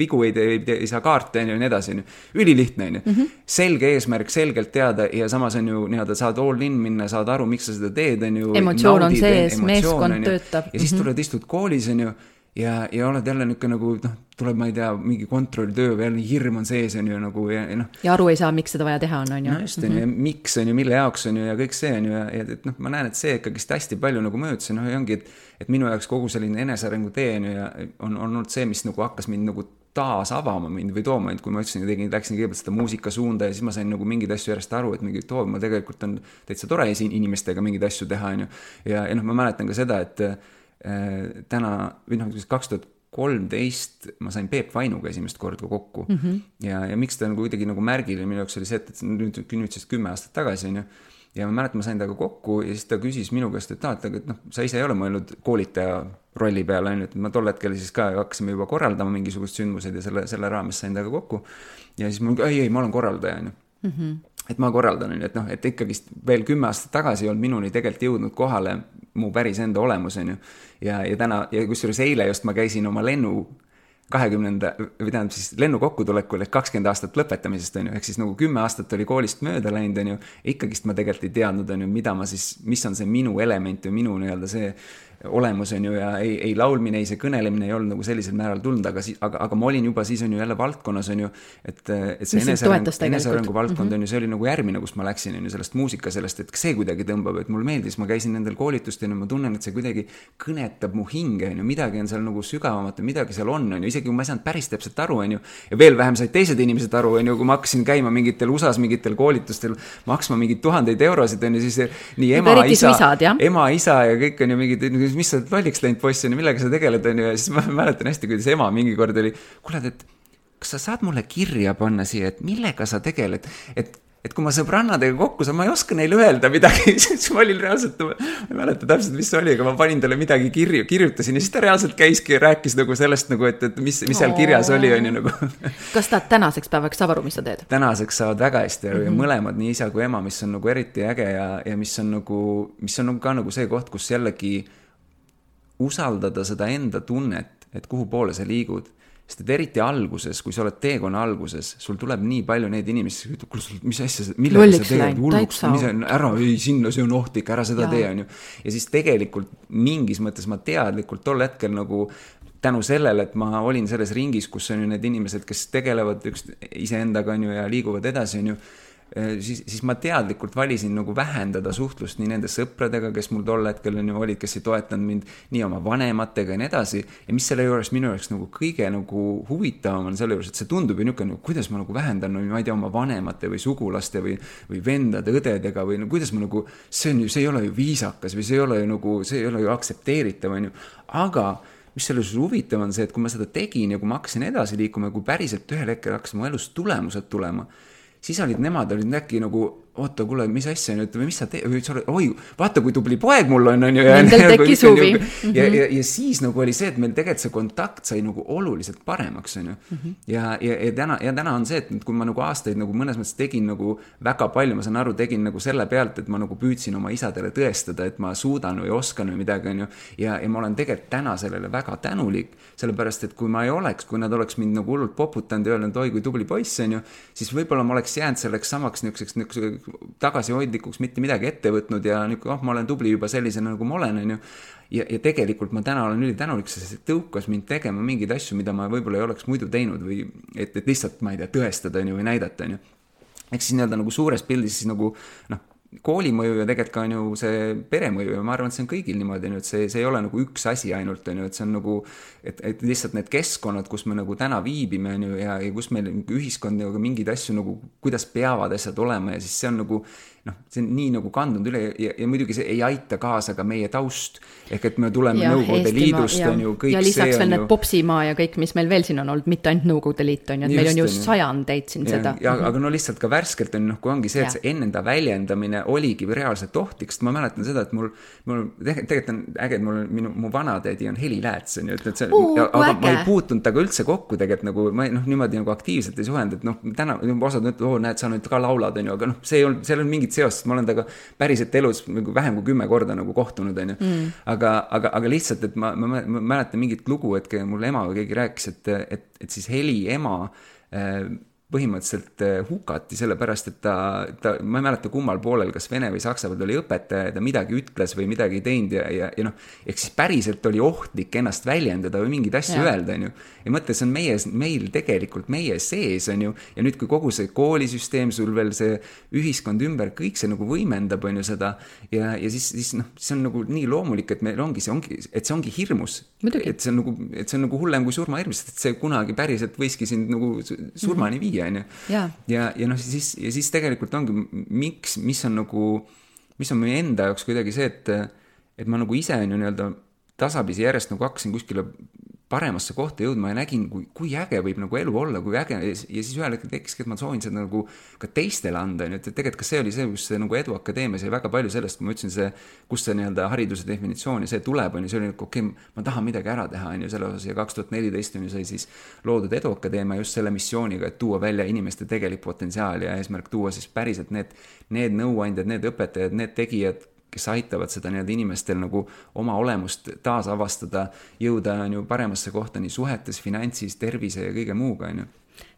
vigu ei, ei, ei saa kaarte, on ju, ja nii edasi, on ju, ülilihtne, on ju, mm -hmm. selge eesmärk, selgelt teada ja samas on ju, nii-öelda saad all in minna, saad aru, miks sa seda teed, on ju, emotsioon on sees, meeskond töötab. Ja siis tuled, istud koolis, on ju, ja, ja oled jälle niisugune nagu, noh, tuleb, ma ei tea, mingi kontrolltöö või jälle hirm on sees, on ju, nagu, ja, ja noh. Ja aru ei saa, miks seda vaja teha on, on ju. No just, on ju, ja miks on ju, mille jaoks on ju, ja kõik see on ju, ja, ja et noh, ma näen, et see ikkagist hästi palju nagu möödus, noh, ja ongi, et, et minu jaoks kogu selline enesearengu tee on ju, ja on, on olnud see, mis nagu hakkas mind nagu taas avama mind või tooma mind, kui ma ütlesin, tegin, läksin kõigepealt seda muusikasuunda ja siis ma sain nagu mingeid asju järjest aru, et mingi too, ma tegelikult on täitsa tore inimestega mingeid asju teha, on ju. Ja, ja noh, ma mäletan ka seda, et äh, täna, või noh, kaks tuhat kolmteist ma sain Peep Vainuga esimest korda kokku mm -hmm. ja, ja miks ta nagu kuidagi nagu märgil, minu jaoks oli see, et nüüd, nüüd sest kümme aastat tagasi, on ju. Ja ma mäletan, ma sain taga kokku ja siis ta küsis minu käest, et, et, et noh, sa ise ei ole mõelnud koolitaja rolli peale, on ju, et ma tol hetkel siis ka hakkasime juba korraldama mingisugused sündmused ja selle, selle raames sain taga kokku. Ja siis ma, ei, ei, ma olen korraldaja, on ju. Mm -hmm. Et ma korraldan, on ju, et noh, et ikkagist veel kümme aastat tagasi ei olnud minuni tegelikult jõudnud kohale mu päris enda olemus, on ju. Ja, ja täna, ja kusjuures eile just ma käisin oma lennu kahekümnenda, või tähendab siis lennu kokkutulekul, et kakskümmend aastat lõpetamisest, on ju, ehk siis nagu kümme aastat oli koolist mööda läinud, on ju, ikkagist ma tegelikult ei teadnud, on ju, mida ma siis, mis on see minu element või minu nii-öelda see olemus, on ju, ja ei, ei laulmine, ei see kõnelemine ei olnud nagu sellisel määral tulnud, aga, siis, aga, aga ma olin juba siis on ju jälle valdkonnas, on ju, et, et see enesearengu, enesearengu valdkond mm -hmm. on ju, see oli nagu järgmine, kus ma läksin, on ju, sellest muusika, sellest, et see kuidagi tõmbab, et mul meeldis, ma käisin nendel koolitustel ja ma tunnen, et see kuidagi kõnetab mu hinge, on ju, midagi on seal nagu sügavamat, midagi seal on, on ju, isegi kui ma ei saanud päris täpselt aru, on ju, ja veel vähem said teised inimesed aru, on ju, kui ma hakkasin käima mingitel U S A-s mingitel koolitustel, maksma mingid tuhandeid eurosid, on ju, siis nii ema, isa, ema, isa ja kõik on ju mingid, mis sa lolliks läinud poissi, millega sa tegeled, on ju, ja siis ma mäletan hästi, kuidas ema mingi kord oli, kuule, et kas sa saad mulle kirja panna siia, et millega sa tegeled, et et kui ma sõbrannadega kokku saan, ma ei oska neile öelda midagi, siis ma olin reaalselt, ma ei mäleta täpselt, mis see oli, aga ma panin talle midagi kirju, kirjutasin ja siis ta reaalselt käiski ja rääkis nagu sellest, nagu, et, et mis, mis seal kirjas oli, on ju nagu. Kas ta tänaseks päevaks saab aru, mis sa teed? Tänaseks saavad väga hästi aru mm -hmm. ja mõlemad, nii isa kui ema, mis on nagu eriti äge ja, ja mis on nagu, mis on nagu ka nagu see koht, kus jällegi usaldada seda enda tunnet, et kuhu poole sa liigud. Sest et eriti alguses, kui sa oled teekonna alguses, sul tuleb nii palju neid inimesi, mis asja, millega sa teed hulluks, mis on, ära, ei, sinna, see on ohtlik, ära seda ja. tee, on ju. Ja siis tegelikult mingis mõttes ma teadlikult tol hetkel nagu tänu sellele, et ma olin selles ringis, kus on ju need inimesed, kes tegelevad üks iseendaga, on ju, ja liiguvad edasi, on ju, Siis, siis ma teadlikult valisin nagu vähendada suhtlust nii nende sõpradega, kes mul tol hetkel olid, kes ei toetanud mind, nii oma vanematega ja nii edasi. Ja mis selle juures minu jaoks nagu kõige nagu huvitavam on selle juures, et see tundub ju niisugune, kuidas ma nagu vähendan, no, ma ei tea, oma vanemate või sugulaste või, või vendade, õdedega või no, kuidas ma nagu, see on ju, see ei ole ju viisakas või see ei ole ju nagu, see ei ole ju aktsepteeritav, on ju. Aga mis selle juures huvitav on see, et kui ma seda tegin ja kui ma hakkasin edasi liikuma ja kui päriselt ühel hetkel hakkasin mu elus tulemused tulema, siis olid nemad olid äkki nagu oota, kuule, mis asja nüüd, või mis sa teed, või sa oled, oi, vaata, kui tubli poeg mul on, on ju. Nendel tekkis huvi. Ja, ja, ja siis nagu oli see, et meil tegelikult see kontakt sai nagu oluliselt paremaks, on ju. Mm -hmm. ja, ja, ja, täna, ja täna on see, et kui ma nagu aastaid nagu mõnes mõttes tegin nagu väga palju, ma saan aru, tegin nagu selle pealt, et ma nagu püüdsin oma isadele tõestada, et ma suudan või oskan või midagi, on ju. Ja, ja ma olen tegelikult täna sellele väga tänulik, sellepärast, et kui ma ei oleks, kui nad oleks mind nagu hullult poputanud ja öelnud, oi, kui tubli poiss, on ju, siis võib-olla ma oleks jäänud selleks samaks niisuguseks, niisuguseks tagasihoidlikuks, mitte midagi ette võtnud ja nüüd, oh, ma olen tubli juba sellisena, nagu ma olen, on ju. Ja, ja tegelikult ma täna olen üli tänulik, sest see tõukas mind tegema mingeid asju, mida ma võib-olla ei oleks muidu teinud või et, et lihtsalt, ma ei tea, tõestada, on ju, või näidata, on ju. Eks siis nii-öelda nagu suures pildis siis nagu, noh, koolimõju ja tegelikult ka on ju see peremõju ja ma arvan, et see on kõigil niimoodi, et see, see ei ole nagu üks asi ainult, on ju, et see on nagu, et, et lihtsalt need keskkonnad, kus me nagu täna viibime, on ju, ja, ja kus meil ühiskond ja mingeid asju nagu, kuidas peavad asjad olema ja siis see on nagu, noh, see on nii nagu kandunud üle ja, ja muidugi see ei aita kaasa ka meie taust, ehk et me tuleme ja, Nõukogude Liidust, on ju, kõik ja lisaks see veel on need ju... Popsimaa ja kõik, mis meil veel siin on olnud, mitte ainult Nõukogude Liit, on ju, et just meil on ju sajandeid siin ja, seda. Ja, aga no lihtsalt ka värskelt on, noh, kui ongi see, et see ennenda väljendamine oligi reaalselt ohtlik, sest ma mäletan seda, et mul, mul tegelikult on äge, et mul, minu, mu vanatädi on heliläets, on ju, et, et see, uh, aga äge. Ma ei puutunud taga üldse kokku tegelikult nagu, ma noh, niimoodi nagu aktiivselt ei suhelnud, et noh, täna osad nüüd, oo, näed, sa nüüd ka laulad, on ju, aga noh, see ei olnud, seal on mingit seost, ma olen taga päriselt elus nagu vähem kui kümme korda nagu kohtunud, on ju. Mm. Aga, aga, aga lihtsalt, et ma, ma, ma mäletan mingit lugu, et mul ema või keegi rääkis, et, et, et siis heli ema äh, põhimõtteliselt hukati sellepärast, et ta, ta, ma ei mäleta kummal poolel, kas Vene või Saksa peal oli õpetaja ja ta midagi ütles või midagi ei teinud ja, ja, ja noh, ehk siis päriselt oli ohtlik ennast väljendada või mingeid asju ja. öelda, on ju. Ja mõtle, see on meie, meil tegelikult meie sees, on ju, ja nüüd, kui kogu see koolisüsteem, sul veel see ühiskond ümber, kõik see nagu võimendab, on ju seda, ja, ja siis, siis noh, see on nagu nii loomulik, et meil ongi see, ongi, et see ongi hirmus. Et see on nagu, et see on nagu hullem kui surmahirmus, et see kunagi päriselt võiski sind nagu surmani viia. Ja, ja, ja, ja noh, siis, ja siis tegelikult ongi, miks, mis on nagu, mis on meie enda jaoks kuidagi see, et, et ma nagu ise on ju nii-öelda tasapisi järjest nagu hakkasin kuskile paremasse kohta jõudma ja nägin, kui, kui äge võib nagu elu olla, kui äge, ja siis ühel hetkel tekiski, et ma soovin seda nagu ka teistele anda, et tegelikult ka see oli see, kus see nagu Edu Akadeemias ja väga palju sellest, kui ma ütlesin see, kus see nii-öelda hariduse definitsioon ja see tuleb, on ju, see oli nagu, okei, okay, ma tahan midagi ära teha, on ju, selle osas ja kaks tuhat neliteist on ju sai siis loodud Edu Akadeemia just selle missiooniga, et tuua välja inimeste tegelik potentsiaal ja eesmärk tuua siis päriselt need, need nõuandjad, need õpetajad, need tegijad, kes aitavad seda nii-öelda inimestel nagu oma olemust taasavastada, jõuda on ju paremasse kohta nii suhetes, finantsis, tervise ja kõige muuga, on ju.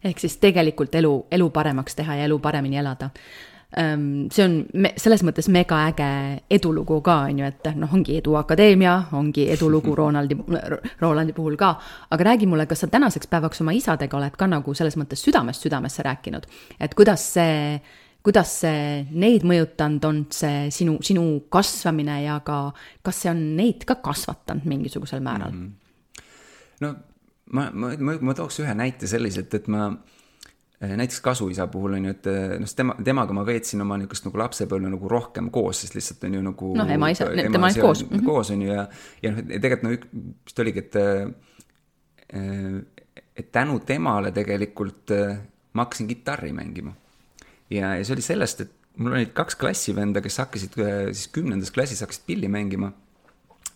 Ehk siis tegelikult elu, elu paremaks teha ja elu paremini elada. See on me, selles mõttes mega äge edulugu ka, on ju, et noh, ongi Edu Akadeemia, ongi edulugu Ronaldi, Rolandi puhul ka, aga räägi mulle, kas sa tänaseks päevaks oma isadega oled ka nagu selles mõttes südamest südamesse rääkinud, et kuidas see kuidas see neid mõjutanud on, see sinu, sinu kasvamine ja ka, kas see on neid ka kasvatanud mingisugusel määral? Mm-hmm. No ma, ma, ma, ma tooks ühe näite selliselt, et ma näiteks kasuisa puhul on ju, et no, tema, temaga ma veetsin oma niisugust nagu lapsepõlve nagu rohkem koos, sest lihtsalt on ju nagu no, ema isa, tema on koos. Mm-hmm. Koos on ju ja, ja noh, tegelikult no vist oligi, et, et tänu temale tegelikult ma hakkasin kitarri mängima. Ja, ja see oli sellest, et mul olid kaks klassivenda, kes hakkasid siis kümnendas klassis hakkasid pilli mängima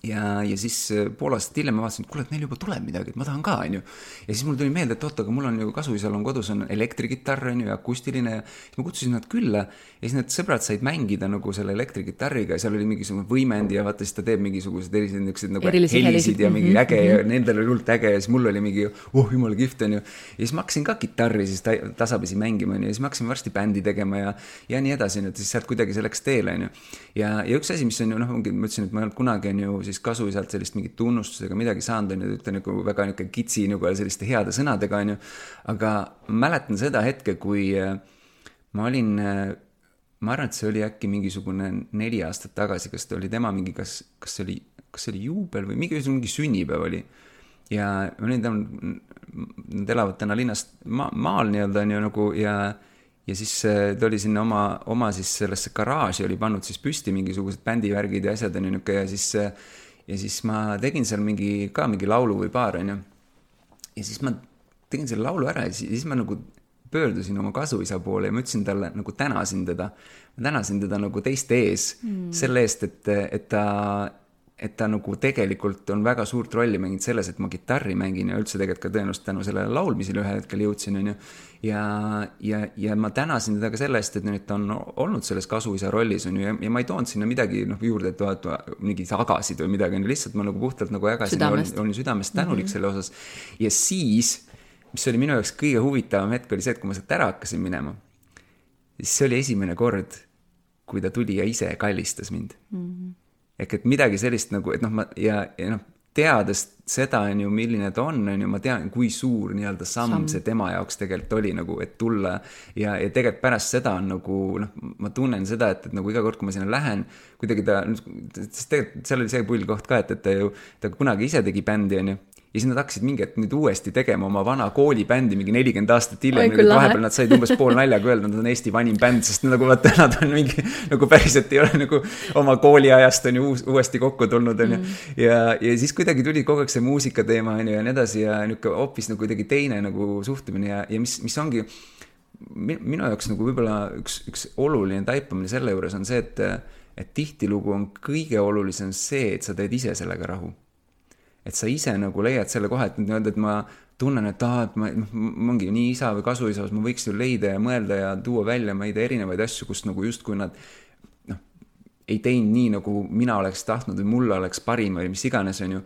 ja, ja siis pool aastat hiljem ma vaatasin, et kuule, et neil juba tuleb midagi, et ma tahan ka, on ju. Ja siis mul tuli meelde, et oota, aga mul on ju kasuisal on kodus on elektrikitarr, on ju, ja akustiline ja siis ma kutsusin nad külla ja siis need sõbrad said mängida nagu selle elektrikitarriga ja seal oli mingisugune võimendi ja vaata, siis ta teeb mingisugused erilised nagu Erilisi helisid ja mingi äge ja nendel oli hullult äge ja siis mul oli mingi, oh, jumala kihvt, on ju. Ja siis ma hakkasin ka kitarri siis tasapisi mängima, on ju, ja siis ma hakkasin varsti bändi tegema ja, ja nii edasi, et siis sealt kuidagi selleks teele, on ju. Ja, ja üks asi, mis on ju, noh, ongi, ma ütlesin, et ma ei olnud kunagi on ju siis kasuisalt sellist mingit tunnustusega midagi saanud, on ju, ütlen nagu väga niisugune kitsi nagu selliste heade sõnadega, on ju, aga ma mäletan seda hetke, kui ma olin, ma arvan, et see oli äkki mingisugune neli aastat tagasi, kas ta oli tema mingi, kas, kas see oli, kas see oli juubel või mingi, mingi sünnipäev oli ja ma olin tam, nad elavad täna linnast ma, maal nii-öelda on ju nagu ja ja siis ta oli sinna oma, oma siis sellesse garaaži oli pannud siis püsti mingisugused bändivärgid ja asjad on ju ja siis ja siis ma tegin seal mingi, ka mingi laulu või paar, on ju. Ja siis ma tegin selle laulu ära ja siis, siis ma nagu pöördusin oma kasuisa poole ja ma ütlesin talle, nagu tänasin teda, ma tänasin teda nagu teiste ees mm. selle eest, et, et ta et ta nagu tegelikult on väga suurt rolli mänginud selles, et ma kitarri mängin ja üldse tegelikult ka tõenäoliselt tänu sellele laulmisele ühel hetkel jõudsin, on ju. Ja, ja, ja ma tänasin teda ka selle eest, et nüüd ta on olnud selles kasuisa rollis, on ju, ja, ja ma ei toonud sinna midagi noh, juurde, et vaat, mingi tagasid või midagi, on ju, lihtsalt ma nagu puhtalt nagu jagasin, olin, olin südamest tänulik mm-hmm. selle osas. Ja siis, mis oli minu jaoks kõige huvitavam hetk, oli see, et kui ma sealt ära hakkasin minema, siis see oli esimene kord, kui ta tuli ja ise kallistas mind. Mm-hmm. Ehk et midagi sellist nagu, et noh, ma, ja, ja noh, teades seda on ju, milline ta on, on ju, ma tean, kui suur nii-öelda samm, samm see tema jaoks tegelikult oli nagu, et tulla ja, ja tegelikult pärast seda on nagu, noh, ma tunnen seda, et, et nagu iga kord, kui ma sinna lähen, kuidagi ta, sest tegelikult seal oli see pull koht ka, et, et ta ju, ta kunagi ise tegi bändi, on ju. Ja siis nad hakkasid mingi, et nüüd uuesti tegema oma vana koolibändi mingi nelikümmend aastat hiljem, nüüd vahepeal nad said umbes pool naljaga öelda, nad on Eesti vanim bänd, sest nagu vaata, nad on mingi, nagu päriselt ei ole nagu oma kooliajast on ju uus, uuesti kokku tulnud, on ju. Mm. Ja, ja siis kuidagi tuli kogu aeg see muusika teema, on ju, ja nii edasi, ja niuke hoopis nagu kuidagi teine nagu suhtumine ja, ja mis, mis ongi minu jaoks nagu võib-olla üks, üks oluline taipamine selle juures on see, et, et tihtilugu on kõige olulisem see, et sa teed ise sellega rahu. Et sa ise nagu leiad selle koha, et, et ma tunnen, et, ah, et ma, ma ongi nii isa või kasuisa, ma võiks ju leida ja mõelda ja tuua välja ma ei tea erinevaid asju, kus nagu just kui nad noh, ei teinud nii, nagu mina oleks tahtnud või mulle oleks parim või mis iganes on ju,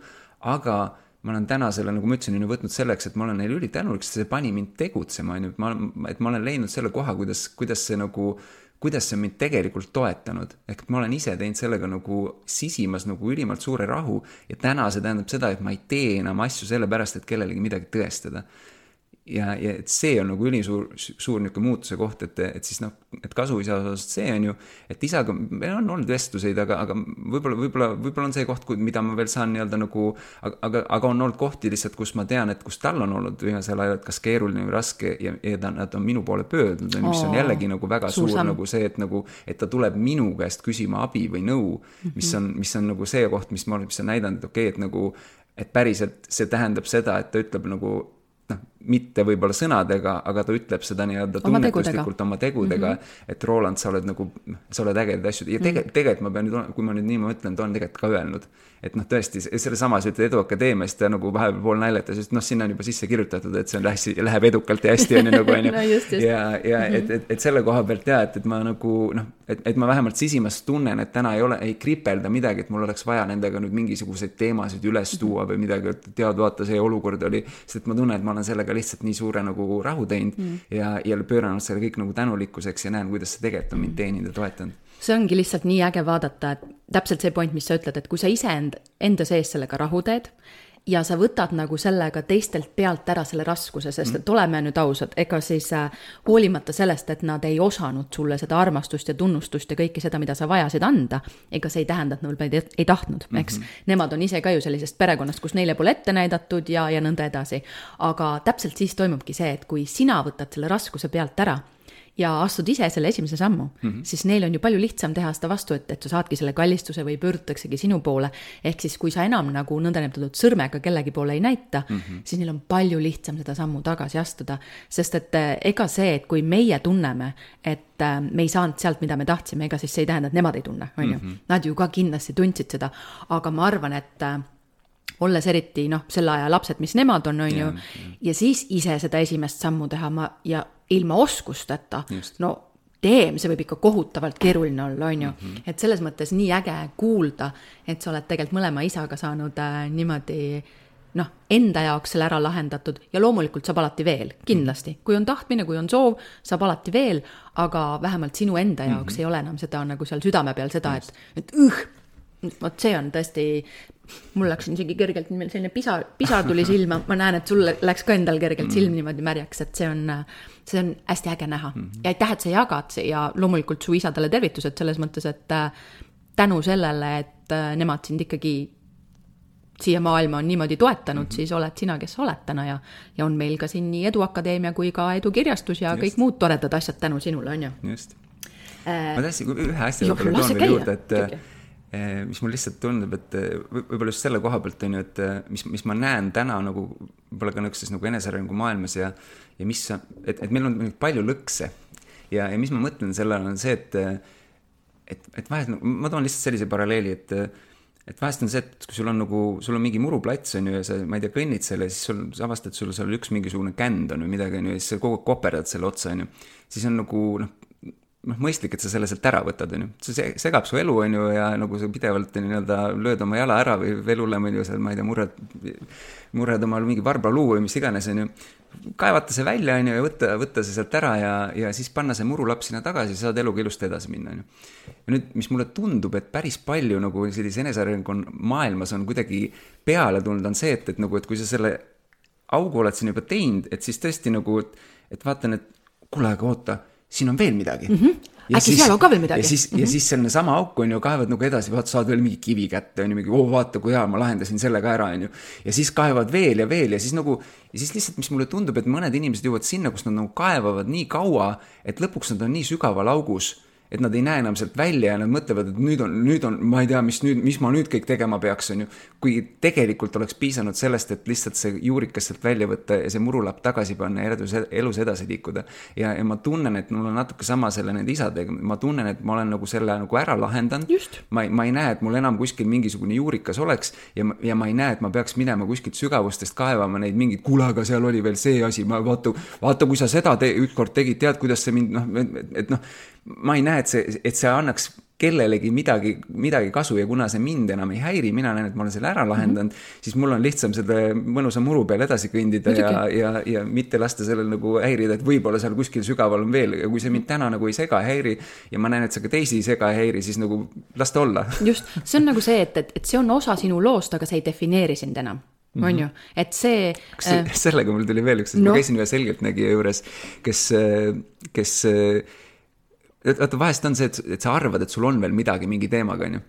aga ma olen täna selle, nagu ma ütlesin, võtnud selleks, et ma olen neil ülitänulik, sest see pani mind tegutsema, on ju, et ma, et ma olen leidnud selle koha, kuidas, kuidas see nagu kuidas see mind tegelikult toetanud. Ehk ma olen ise teinud sellega nagu sisimas nagu ülimalt suure rahu ja täna see tähendab seda, et ma ei tee enam asju selle pärast, et kellelegi midagi tõestada. Ja, ja et see on nagu ülisuur suur niuke muutuse koht, et, et siis noh, et kasuisa osas see on ju, et isaga meil on olnud vestluseid, aga, aga võib-olla, võib-olla, võib-olla on see koht, mida ma veel saan nii-öelda nagu, aga, aga on olnud kohti lihtsalt, kus ma tean, et kus tal on olnud viimasel ajal, kas keeruline või raske ja, ja ta, nad on minu poole pöördnud, mis on jällegi nagu väga suur, suur nagu see, et nagu, et ta tuleb minu käest küsima abi või nõu, mis on, mis on nagu see koht, mis ma olen, mis on näidanud, et okei, et nagu, et päriselt see tähendab seda, et ta ütleb nagu noh, mitte võib-olla sõnadega, aga ta ütleb seda nii-öelda tunnetuslikult oma tegudega, mm-hmm. et Roland, sa oled nagu, sa oled ägedad asju. Ja tegelikult, mm-hmm. tegelikult ma pean nüüd, kui ma nüüd nii ma ütlen, ta on tegelikult ka öelnud, et noh, tõesti, selle samas ütled Edu Akadeemiast ta nagu vahepeal pool naljatas, sest noh, sinna on juba sisse kirjutatud, et see on lähe, läheb edukalt ja hästi on ju nagu on ju. no, just, just. Ja, ja mm-hmm. et, et, et selle koha pealt jah, et, et ma nagu noh, et, et ma vähemalt sisimas tunnen, et täna ei ole, ei kripelda midagi, et mul oleks vaja nendega nüüd mingisuguseid teemasid üles tuua või midagi, et tead, vaata, see olukord oli, sest ma tunnen, et ma olen sellega lihtsalt nii suure nagu rahu teinud mm. ja, ja pööranud selle kõik nagu tänulikkuseks ja näen, kuidas see tegelikult on mind teeninud ja toetanud. See ongi lihtsalt nii äge vaadata, et täpselt see point, mis sa ütled, et kui sa ise enda, enda sees sellega rahu teed ja sa võtad nagu sellega teistelt pealt ära selle raskuse, sest et oleme nüüd ausad, ega siis äh, hoolimata sellest, et nad ei osanud sulle seda armastust ja tunnustust ja kõike seda, mida sa vajasid anda, ega see ei tähenda, et nad ei, ei tahtnud, eks. Mm-hmm. Nemad on ise ka ju sellisest perekonnast, kus neile pole ette näidatud ja, ja nõnda edasi. Aga täpselt siis toimubki see, et kui sina võtad selle raskuse pealt ära ja astud ise selle esimese sammu, mm-hmm. siis neil on ju palju lihtsam teha seda vastu, et, et sa saadki selle kallistuse või pöördutaksegi sinu poole. Ehk siis, kui sa enam nagu nõndanimetatud sõrmega kellegi poole ei näita, mm-hmm. siis neil on palju lihtsam seda sammu tagasi astuda. Sest et ega see, et kui meie tunneme, et me ei saanud sealt, mida me tahtsime, ega siis see ei tähenda, et nemad ei tunne, on ju. Mm-hmm. Nad ju ka kindlasti tundsid seda, aga ma arvan, et olles eriti noh, selle aja lapsed, mis nemad on, on ju, ja siis ise seda esimest sammu teha ma, ja ilma oskusteta, Just. no teem, see võib ikka kohutavalt keeruline olla, on ju. Mm-hmm. Et selles mõttes nii äge kuulda, et sa oled tegelikult mõlema isaga saanud äh, niimoodi noh, enda jaoks selle ära lahendatud ja loomulikult saab alati veel, kindlasti. Kui on tahtmine, kui on soov, saab alati veel, aga vähemalt sinu enda jaoks mm-hmm. ei ole enam seda nagu seal südame peal seda, Just. et, et üh, vot see on tõesti, mul läks isegi kergelt selline pisar, pisar tuli silma, ma näen, et sul läks ka endal kergelt silm niimoodi märjaks, et see on, see on hästi äge näha. Mm-hmm. Ja aitäh, et sa jagad ja loomulikult su isadele tervitused selles mõttes, et tänu sellele, et nemad sind ikkagi siia maailma on niimoodi toetanud, mm-hmm. siis oled sina, kes oled täna ja, ja on meil ka siin nii Edu Akadeemia kui ka Edu Kirjastus ja Just. Kõik muud toredad asjad tänu sinule, on ju. Just. Äh, ma tahtsin ühe asja võib-olla toon veel juurde, et, mis mul lihtsalt tundub, et võib-olla just selle koha pealt on ju, et mis, mis ma näen täna nagu võib-olla ka nõukses nagu enesearengu maailmas ja, ja mis, et, et meil on palju lõkse ja, ja mis ma mõtlen sellele on see, et, et, et vahest, ma toon lihtsalt sellise paralleeli, et, et vahest on see, et kui sul on nagu, sul on mingi muruplats on ju ja sa, ma ei tea, kõnnid selle, siis sul avastad, sul seal üks mingisugune känd on või midagi on ju ja siis sa kogu aeg koperdad selle otsa on ju, siis on nagu, noh, noh, mõistlik, et sa selle sealt ära võtad, on ju. See segab su elu, on ju, ja nagu sa pidevalt nii-öelda lööd oma jala ära või veel hullem, on ju, seal, ma ei tea, murred, murred omal mingi varbaluu või mis iganes, on ju. Kaevata see välja, on ju, ja võtta, võtta see sealt ära ja, ja siis panna see murulapp sinna tagasi, saad eluga ilusti edasi minna, on ju. Ja nüüd, mis mulle tundub, et päris palju nagu sellise enesearengu maailmas on kuidagi peale tulnud, on see, et, et nagu, et kui sa selle augu oled siin juba teinud, et siis tõesti nagu, et, et vaatan, et kuule, aga oota, siin on veel midagi. Mm -hmm. Äkki siis, seal on ka veel midagi. Ja siis, mm -hmm. ja siis selline sama auk on ju, kaevad nagu edasi, vaata, saad veel mingi kivi kätte, on ju, mingi, oo, vaata, kui hea, ma lahendasin selle ka ära, on ju. Ja siis kaevad veel ja veel ja siis nagu, ja siis lihtsalt, mis mulle tundub, et mõned inimesed jõuavad sinna, kus nad nagu kaevavad nii kaua, et lõpuks nad on nii sügaval augus, et nad ei näe enam sealt välja ja nad mõtlevad, et nüüd on, nüüd on, ma ei tea, mis nüüd, mis ma nüüd kõik tegema peaks, on ju. Kui tegelikult oleks piisanud sellest, et lihtsalt see juurikas sealt välja võtta ja see murulapp tagasi panna ja edus, elus edasi liikuda. Ja, ja ma tunnen, et mul on natuke sama selle nende isadega. Ma tunnen, et ma olen nagu selle nagu ära lahendanud. Ma, ma ei näe, et mul enam kuskil mingisugune juurikas oleks ja, ja ma ei näe, et ma peaks minema kuskilt sügavustest kaevama neid mingid, kuule, aga seal oli veel see asi, ma vaata, vaata kui sa seda te, ükskord tegid, tead, kuidas see mind, noh, et, et noh, ma ei näe, et see, et see annaks kellelegi midagi, midagi kasu ja kuna see mind enam ei häiri, mina näen, et ma olen selle ära lahendanud, mm -hmm. siis mul on lihtsam selle mõnusa muru peal edasi kõndida ja, ja, ja mitte lasta sellel nagu häirida, et võib-olla seal kuskil sügaval on veel ja kui see mind täna nagu ei sega häiri ja ma näen, et see ka teisi ei sega häiri, siis nagu las ta olla. Just, see on nagu see, et, et, et see on osa sinu loost, aga see ei defineeri sind enam. Mm -hmm. On ju, et see, see äh... sellega mul tuli veel üks, no. Ma käisin ühe selgeltnägija juures, kes, kes vaata vahest on see, et, et sa arvad, et sul on veel midagi mingi teemaga, on ju.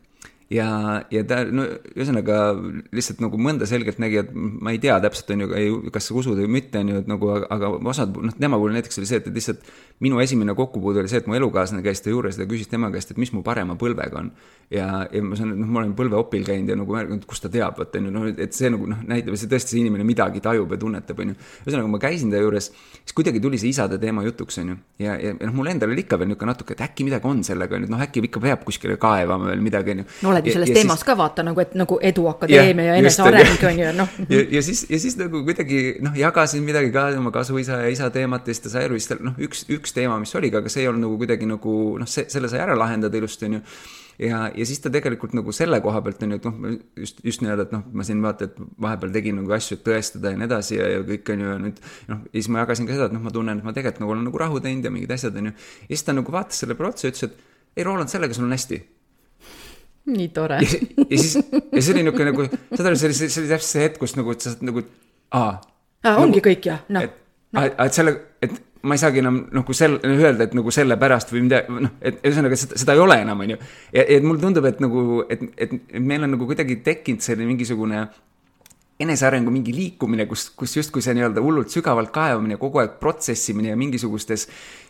Ja, ja ta, no, ühesõnaga lihtsalt nagu mõnda selgelt nägi, et ma ei tea täpselt, on ju, kas sa usud või mitte, on ju, et nagu, aga osad, noh, tema puhul näiteks oli see, et lihtsalt minu esimene kokkupuude oli see, et mu elukaaslane käis ta juures ja küsis tema käest, et mis mu parema põlvega on. Ja, ja ma saan, noh, ma olen põlveopil käinud ja nagu, kus ta teab, et, no, et see nagu, noh, näitab, see tõesti see inimene midagi tajub ja tunnetab, on ju. Ühesõnaga, ma käisin ta juures, siis kuidagi tuli see isade teema jutuks, on ju. Ja, ja noh, mul endal oli ikka veel niuke natuke, et äkki midagi on sellega, noh, äkki ikka peab kuskile kaevama veel midagi, on ju. No oled ju selles teemas siis, ka vaata nagu, et nagu eduakadeemia ja, ja eneseareng on ju, noh. Ja, ja siis, ja siis nagu kuidagi, noh, jagasin midagi ka oma kasuisa ja isa teemat ja siis ta sai aru, siis noh, üks, üks teema, mis oli, aga see ei olnud nagu kuidagi nagu, noh, see, selle sai ära lahendada ilusti, on ju. Ja, ja siis ta tegelikult nagu selle koha pealt on ju, et noh, just, just nii-öelda, et noh, ma siin vaata, et vahepeal tegin nagu asju, et tõestada ja nii edasi ja, ja kõik on ju nüüd, noh, ja siis ma jagasin ka seda, et noh, ma tunnen, et ma tegelikult nagu olen nagu rahu teinud ja mingid asjad on ju. Ja siis ta nagu vaatas selle prootsi ja ütles, et ei, Roland, sellega sul on hästi. Nii tore. Ja, ja siis, ja see oli niuke nagu, seda oli, see oli, see oli täpselt see hetk, kus nagu, et sa nagu, aa. Aa, ongi nagu, kõik, jah, noh. Et, no. et selle, et ma ei saagi enam nagu sel, öelda, et nagu selle pärast või mida, noh, et ühesõnaga, seda, seda ei ole enam, on ju. Ja, ja mulle tundub, et nagu, et, et meil on nagu kuidagi tekkinud selline mingisugune enesearengu mingi liikumine, kus, kus justkui see nii-öelda hullult sügavalt kaevamine, kogu aeg protsessimine ja mingisugustes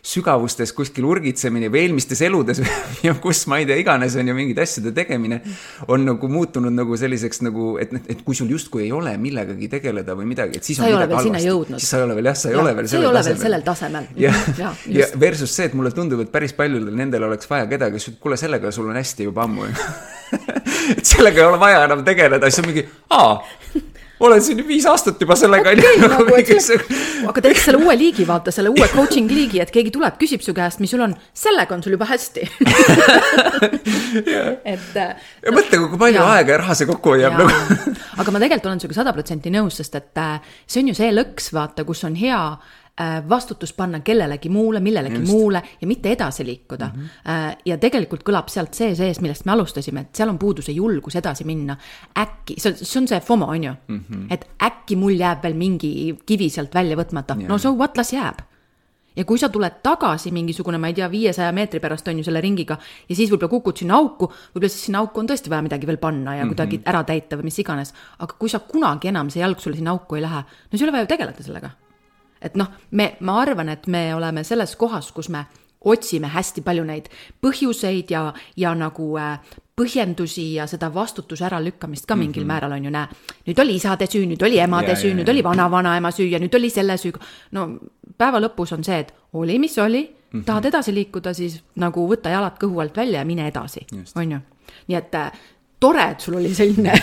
sügavustes kuskil urgitsemine või eelmistes eludes ja kus ma ei tea iganes on ju mingid asjade tegemine on nagu muutunud nagu selliseks nagu, et, et kui sul justkui ei ole millegagi tegeleda või midagi, et siis sa on ei ole veel sinna jõudnud. Siis sa ei ole veel, jah, sa ei ja, ole veel sellel tasemel. sellel tasemel. Ja, ja, ja versus see, et mulle tundub, et päris paljudel nendel oleks vaja kedagi, kes kuule, sellega sul on hästi juba ammu. Et sellega ei ole vaja enam tegeleda, siis on mingi, aa, olen siin viis aastat juba sellega. Okay, nagu, nagu see, aga teeks selle uue liigi, vaata, selle uue coaching liigi, et keegi tuleb, küsib su käest, mis sul on, sellega on sul juba hästi. et, ja mõtle, kui palju ja, aega ja raha see kokku hoiab. Nagu. Aga ma tegelikult olen suga sada protsenti nõus, sest et see on ju see lõks, vaata, kus on hea vastutus panna kellelegi muule, millelegi Just. muule ja mitte edasi liikuda. Mm-hmm. Ja tegelikult kõlab sealt see sees, millest me alustasime, et seal on puuduse julgus edasi minna. Äkki, see on see FOMO, on ju, mm-hmm. et äkki mul jääb veel mingi kivi sealt välja võtmata. Yeah. No so what, las jääb. Ja kui sa tuled tagasi mingisugune, ma ei tea, viiesaja meetri pärast on ju selle ringiga ja siis võib-olla kukud sinna auku, võib-olla siis sinna auku on tõesti vaja midagi veel panna ja kuidagi mm-hmm. ära täita või mis iganes. Aga kui sa kunagi enam see jalg sulle sinna auku ei lähe, no see ei ole vaja tegeleda sellega. Et noh, me, ma arvan, et me oleme selles kohas, kus me otsime hästi palju neid põhjuseid ja, ja nagu äh, põhjendusi ja seda vastutuse ära lükkamist ka mingil mm-hmm. määral on ju näe. Nüüd oli isade süü, nüüd oli emade ja, süü, ja, nüüd ja. oli vana-vanaema süü ja nüüd oli selle süü. No päeva lõpus on see, et oli, mis oli, mm-hmm. tahad edasi liikuda, siis nagu võtta jalad kõhu alt välja ja mine edasi. On ju? Nii et tore, et sul oli selline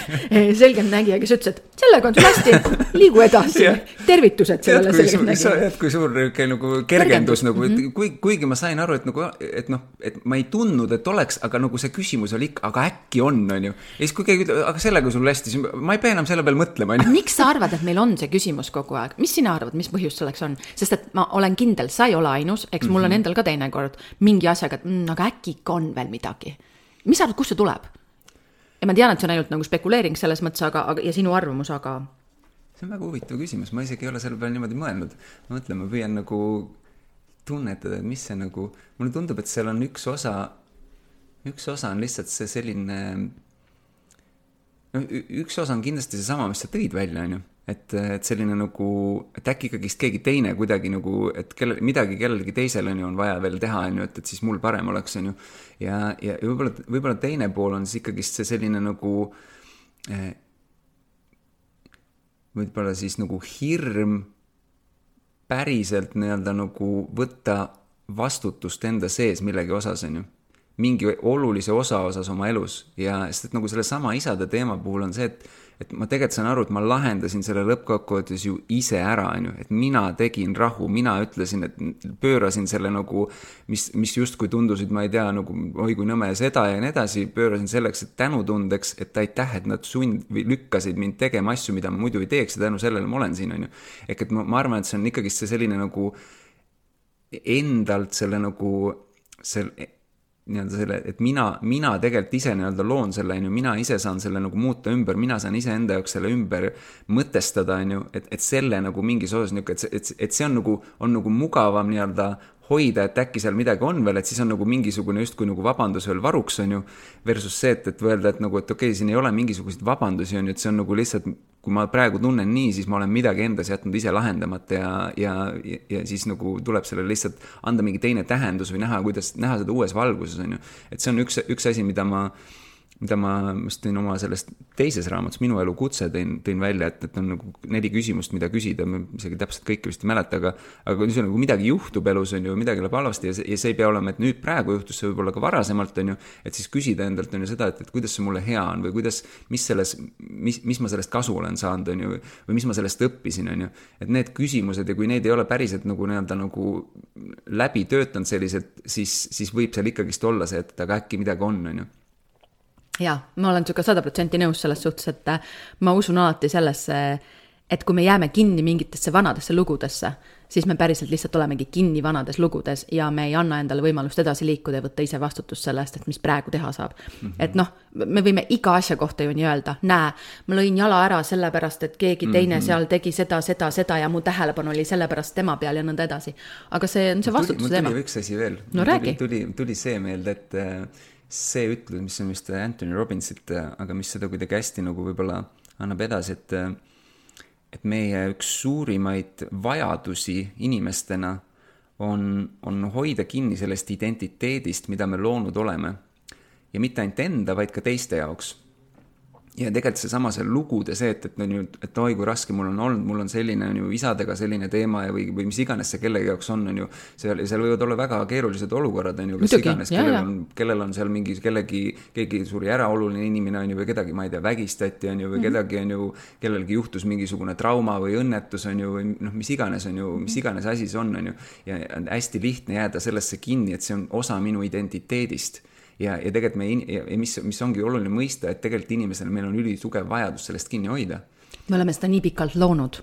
selgem nägija, kes ütles, et sellega on sul hästi, liigu edasi. Tervitused sellele selgem nägija. Et kui suur nagu kergendus, nagu, mm-hmm. kui, kuigi ma sain aru, et, nagu, et, noh, et ma ei tundnud, et oleks, aga nagu see küsimus oli ikka, aga äkki on, on ju. Ja siis kui keegi ütleb, aga sellega sul hästi, siis ma ei pea enam selle peal mõtlema. Miks sa arvad, et meil on see küsimus kogu aeg? Mis sina arvad, mis põhjus selleks on? Sest et ma olen kindel, sa ei ole ainus, eks mul on endal ka teine kord mingi asjaga, et mm, aga äkki ikka on veel midagi. Mis arvad, kust see tuleb? Ja ma tean, et see on ainult nagu spekuleering selles mõttes, aga, aga, ja sinu arvamus, aga... See on väga huvitav küsimus, ma isegi ei ole selle peale niimoodi mõelnud. Ma mõtlen, ma püüan nagu tunnetada, et mis see nagu... Mulle tundub, et seal on üks osa, üks osa on lihtsalt see selline... No, üks osa on kindlasti see sama, mis sa tõid välja, on ju. Et, et selline nagu, et äkki ikkagist keegi teine kuidagi nagu, et kelle, midagi kellelgi teisel on ju on vaja veel teha, on ju, et, et siis mul parem oleks, on ju. Ja, ja võib-olla, võib-olla teine pool on siis ikkagist see selline nagu, eh, võib-olla siis nagu hirm päriselt nii-öelda nagu võtta vastutust enda sees millegi osas, on ju. Mingi olulise osa osas oma elus. Ja sest et nagu selle sama isade teema puhul on see, et et ma tegelikult saan aru, et ma lahendasin selle lõppkokkuvõttes ju ise ära, on ju, et mina tegin rahu, mina ütlesin, et pöörasin selle nagu, mis, mis just kui tundusid, ma ei tea, nagu oi kui nõme seda ja nii edasi, pöörasin selleks, et tänutundeks, et aitäh, et nad sund või lükkasid mind tegema asju, mida ma muidu ei teeks ja tänu sellele ma olen siin, on ju. Ehk et ma, ma arvan, et see on ikkagi see selline nagu endalt selle nagu selle nii-öelda selle, et mina, mina tegelikult ise nii-öelda loon selle, on ju, mina ise saan selle nagu muuta ümber, mina saan ise enda jaoks selle ümber mõtestada, on ju, et, et selle nagu mingis osas, et, et, et see on nagu, on nagu mugavam nii-öelda hoida, et äkki seal midagi on veel, et siis on nagu mingisugune justkui nagu vabandus veel varuks, on ju, versus see, et, et öelda, et nagu, et okei, siin ei ole mingisuguseid vabandusi, on ju, et see on nagu lihtsalt, kui ma praegu tunnen nii, siis ma olen midagi endas jätnud ise lahendamata ja, ja, ja siis nagu tuleb sellele lihtsalt anda mingi teine tähendus või näha, kuidas näha seda uues valguses, on ju. Et see on üks, üks asi, mida ma mida ma just tõin oma sellest teises raamatus, minu elu kutse tõin, tõin välja, et, et on nagu neli küsimust, mida küsida, ma isegi täpselt kõike vist ei mäleta, aga, aga kui see nagu midagi juhtub elus, on ju, midagi läheb halvasti ja see, ja see ei pea olema, et nüüd praegu juhtus see võib-olla ka varasemalt, on ju, et siis küsida endalt on ju seda, et, et kuidas see mulle hea on või kuidas, mis selles, mis, mis ma sellest kasu olen saanud, on ju, või mis ma sellest õppisin, on ju, et need küsimused ja kui neid ei ole päriselt nagu nii-öelda nagu läbi töötanud sellised, siis, siis võib seal ikkagist olla see, et aga äkki midagi on, on ju. Ja, ma olen siuke sada protsenti nõus selles suhtes, et ma usun alati sellesse, et kui me jääme kinni mingitesse vanadesse lugudesse, siis me päriselt lihtsalt olemegi kinni vanades lugudes ja me ei anna endale võimalust edasi liikuda ja võtta ise vastutust sellest, et mis praegu teha saab. Mm-hmm. Et noh, me võime iga asja kohta ju nii öelda, näe, ma lõin jala ära sellepärast, et keegi teine mm-hmm. seal tegi seda, seda, seda ja mu tähelepanu oli sellepärast tema peal ja nõnda edasi. Aga see on see vastutuse teema. Mul tuli üks asi veel. No räägi. Tuli, tuli see meelde, et see ütlus, mis on vist Anthony Robbinsit, aga mis seda kuidagi hästi nagu võib-olla annab edasi, et, et meie üks suurimaid vajadusi inimestena on, on hoida kinni sellest identiteedist, mida me loonud oleme. Ja mitte ainult enda, vaid ka teiste jaoks. Ja tegelikult see sama see lugude see, et, et, et, et oi kui raske mul on olnud, mul on selline on ju, isadega selline teema ja või, või mis iganes see kellegi jaoks on, on ju, seal, seal võivad olla väga keerulised olukorrad, on ju, kes Muidugi, iganes, kellel on, kellel on seal mingi, kellegi, keegi suuri äraoluline inimene on ju, või kedagi, ma ei tea, vägistati on ju, või mm-hmm. kedagi on ju, kellelgi juhtus mingisugune trauma või õnnetus on ju, või noh, mis iganes on ju, mis iganes asi see on, on ju, ja on hästi lihtne jääda sellesse kinni, et see on osa minu identiteedist. Ja, ja tegelikult me, ja mis, mis ongi oluline mõista, et tegelikult inimesel meil on üli tugev vajadus sellest kinni hoida. Me oleme seda nii pikalt loonud.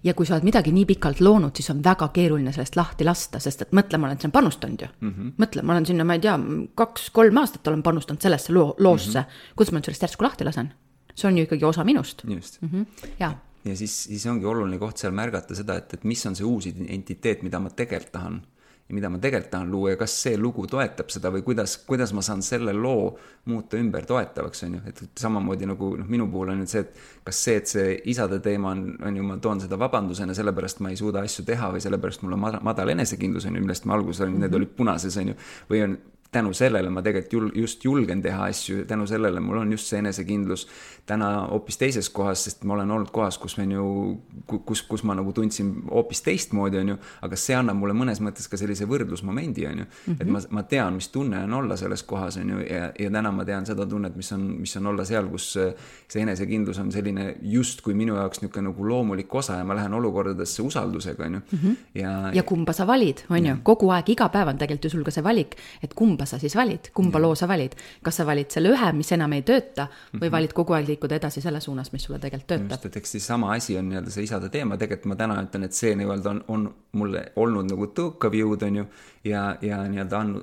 Ja kui sa oled midagi nii pikalt loonud, siis on väga keeruline sellest lahti lasta, sest et mõtle, ma olen siin panustanud ju. Mm-hmm. Mõtle, ma olen sinna, ma ei tea, kaks-kolm aastat olen panustanud sellesse loo, loosse. Mm-hmm. Kuidas ma sellest järsku lahti lasen? See on ju ikkagi osa minust. Just. Mm-hmm. Ja, ja siis, siis ongi oluline koht seal märgata seda, et, et mis on see uus identiteet, mida ma tegelikult tahan. Ja mida ma tegelikult tahan luua ja kas see lugu toetab seda või kuidas, kuidas ma saan selle loo muuta ümber toetavaks, on ju. Et samamoodi nagu noh, minu puhul on nüüd see, et kas see, et see isade teema on, on ju, ma toon seda vabandusena, sellepärast ma ei suuda asju teha või sellepärast mul on madal enesekindlus, on ju, millest ma alguses olin, need olid punases, on ju, või on tänu sellele ma tegelikult jul, just julgen teha asju, tänu sellele mul on just see enesekindlus täna hoopis teises kohas, sest ma olen olnud kohas, kus, ju, kus, kus ma nagu tundsin hoopis teistmoodi, on ju, aga see annab mulle mõnes mõttes ka sellise võrdlusmomendi, on ju, mm-hmm. et ma, ma tean, mis tunne on olla selles kohas, on ju, ja, ja täna ma tean seda tunnet, mis on, mis on olla seal, kus see enesekindlus on selline just kui minu jaoks niisugune nagu loomulik osa ja ma lähen olukordadesse usaldusega, on ju. Mm-hmm. Ja, ja kumba sa valid, on ju, kogu aeg, iga päev on tegelikult ju sul ka see valik, et kumba sa siis valid, kumba ja. loo sa valid, kas sa valid selle ühe, mis enam ei tööta või mm-hmm. valid kogu aeg liikuda edasi selle suunas, mis sulle tegelikult töötab. Just, et eks siis sama asi on nii-öelda see isade teema, tegelikult ma täna ütlen, et see nii-öelda on, on mulle olnud nagu tõukav jõud, on ju, ja, ja nii-öelda on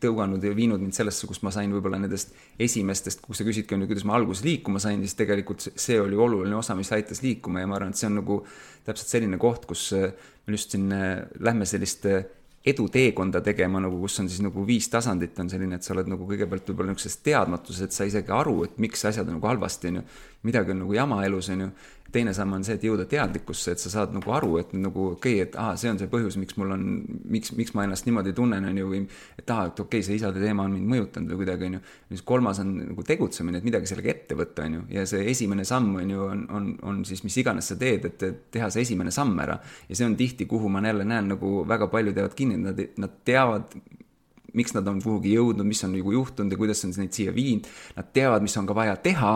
tõuganud ja viinud mind sellesse, kus ma sain võib-olla nendest esimestest, kus sa küsidki, kuidas ma alguses liikuma sain, siis tegelikult see oli oluline osa, mis aitas liikuma ja ma arvan, et see on nagu täpselt selline koht, kus me just siin lähme sellist eduteekonda tegema, nagu kus on siis nagu viis tasandit on selline, et sa oled nagu kõigepealt võib-olla niisuguses teadmatuses, et sa isegi aru, et miks asjad on nagu halvasti, on ju, midagi on nagu jama elus, on ju. Teine samm on see, et jõuda teadlikkusse, et sa saad nagu aru, et nagu okei, okay, et aha, see on see põhjus, miks mul on, miks, miks ma ennast niimoodi tunnen, on ju, või et aha, et okei okay,, see isade teema on mind mõjutanud või kuidagi, on ju. Siis kolmas on nagu tegutsemine, et midagi sellega ette võtta, on ju, ja see esimene samm on ju, on, on, on siis mis iganes sa teed, et teha see esimene samm ära. Ja see on tihti, kuhu ma jälle näen, nagu väga palju teevad kinni, nad, nad teavad, miks nad on kuhugi jõudnud, mis on nagu juhtunud ja kuidas on neid siia viinud. Nad teavad, mis on ka vaja teha,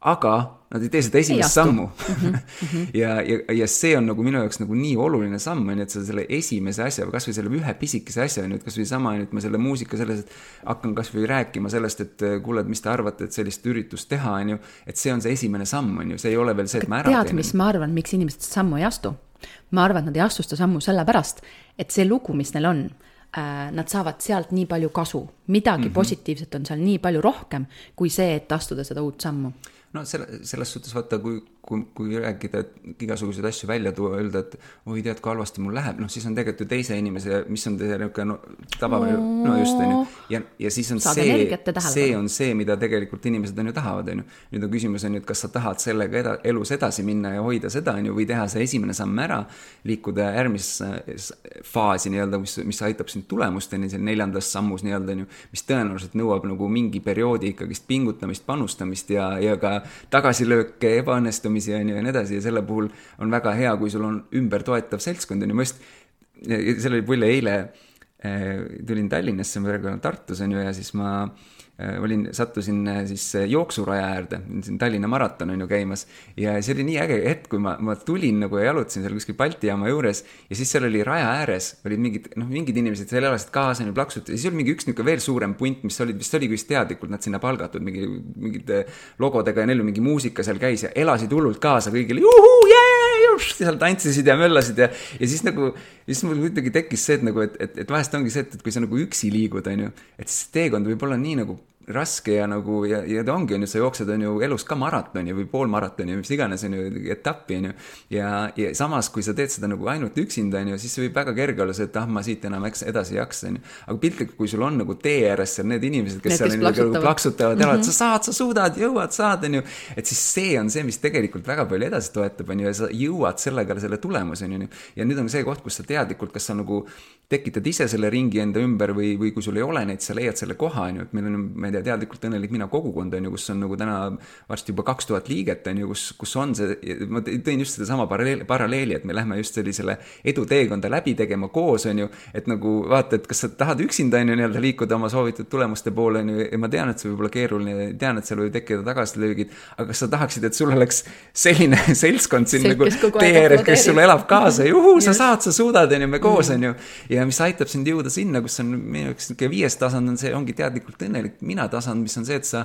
aga nad ei tee seda esimest sammu. Mm-hmm. ja, ja, ja see on nagu minu jaoks nagu nii oluline samm, on, et sa selle esimese asja, kas või selle ühe pisikese asja, on, et kas või sama, et ma selle muusika selles, et hakkan kas või rääkima sellest, et kuule, mis te arvate, et sellist üritust teha, on ju, et see on see esimene samm, on ju, see ei ole veel see, et ma ära tead, teen. Mis ma arvan, miks inimesed sammu ei astu? Ma arvan, et nad ei astu seda sammu sellepärast, et see lugu, mis neil on, nad saavad sealt nii palju kasu. Midagi mm-hmm. positiivset on seal nii palju rohkem, kui see, et astuda seda uut sammu. No selle, selles suhtes vaata, kui, kui, kui rääkida, et igasuguseid asju välja tuua, öelda, et oi tead, kui halvasti mul läheb, noh siis on tegelikult ju teise inimese, mis on teise no, tava, no just on ju, ja, ja siis on Saad see, see on see, mida tegelikult inimesed on ju tahavad, on ju. Nüüd on küsimus on ju, et kas sa tahad sellega eda, elus edasi minna ja hoida seda, on ju, või teha see esimene samm ära, liikuda järgmisse faasi nii-öelda, mis, mis aitab sind tulemusteni, selle neljandas sammus nii-öelda, on ju, mis tõenäoliselt nõuab nagu mingi perioodi ikkagist pingutamist, panustamist ja, ja ka tagasilööke, ebaõnnestumisi on ju ja nii edasi ja selle puhul on väga hea, kui sul on ümber toetav seltskond on ju, ma just, selle oli pulle eile äh, tulin Tallinnasse, ma praegu olen Tartus on ju ja siis ma äh, olin, sattusin äh, siis jooksuraja äärde, siin Tallinna maraton on ju käimas ja see oli nii äge hetk, kui ma, ma tulin nagu ja jalutasin seal kuskil Balti jaama juures ja siis seal oli raja ääres, olid mingid, noh, mingid inimesed seal elasid kaasa ja plaksud ja siis oli mingi üks niuke veel suurem punt, mis olid, vist oli vist teadlikult nad sinna palgatud mingi, mingid logodega ja neil mingi muusika seal käis ja elasid hullult kaasa kõigile, juhu, jee, seal tantsisid ja möllasid ja, ja siis nagu, siis mul kuidagi tekkis see, et nagu, et, et, et vahest ongi see, et, et kui sa nagu üksi liigud, on ju, et siis teekond võib olla nii nagu raske ja nagu, ja, ja ta ongi, on ju, sa jooksed, on ju, elus ka maratoni või poolmaratoni, mis iganes, on ju, etappi, on ju, ja, ja samas, kui sa teed seda nagu ainult üksinda, on ju, siis see võib väga kerge olla see, et ah, ma siit enam edasi jaksa, on ju, aga piltlikult, kui sul on nagu tee ääres seal need inimesed, kes need, seal on ju, plaksutavad, mm -hmm. sa saad, sa suudad, jõuad, saad, on ju, et siis see on see, mis tegelikult väga palju edasi toetab, on ju, ja sa jõuad sellega selle tulemuse, on ju, ja nüüd on see koht, kus sa teadlikult, kas sa nagu tekitad ise selle ringi enda ümber või, või kui sul ei ole neid, sa leiad selle koha, on ju, et meil on, ma ei tea, teadlikult õnnelik mina kogukond, on ju, kus on nagu täna varsti juba kaks tuhat liiget, on ju, kus, kus on see, ma tõin just seda sama paralleeli, paralleeli, et me lähme just sellisele eduteekonda läbi tegema koos, on ju, et nagu vaata, et kas sa tahad üksinda, on ju, nii-öelda liikuda oma soovitud tulemuste poole, on ju, ja ma tean, et see võib olla keeruline, tean, et seal võib tekkida tagasilöögid, aga kas sa tahaksid, et sul oleks selline seltskond siin nagu tee ääres, kes sulle elab kaasa, juhu, sa saad, sa suudad, on ju, me koos, on ju, ja mis aitab sind jõuda sinna, kus on minu jaoks viies tasand on see, ongi teadlikult õnnelik mina tasand, mis on see, et sa,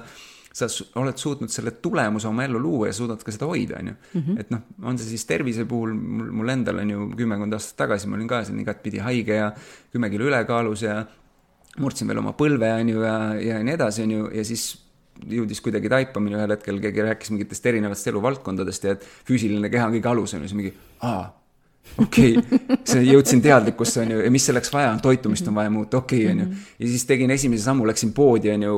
sa oled suutnud selle tulemuse oma ellu luua ja suudad ka seda hoida, on ju. Mm -hmm. Et noh, on see siis tervise puhul, mul, mul endal on ju kümmekond aastat tagasi, ma olin ka siin igatpidi haige ja kümme kilo ülekaalus ja murdsin veel oma põlve, on ju, ja, ja nii edasi, on ju, ja siis jõudis kuidagi taipamine ühel hetkel, keegi rääkis mingitest erinevatest eluvaldkondadest ja et füüsiline keha on kõige alus, on ju, see mingi, aa, okei, okay. See jõudsin teadlikkusse, on ju, ja mis selleks vaja on, toitumist on vaja muuta, okei, okay, on ju. Ja siis tegin esimese sammu, läksin poodi, on ju,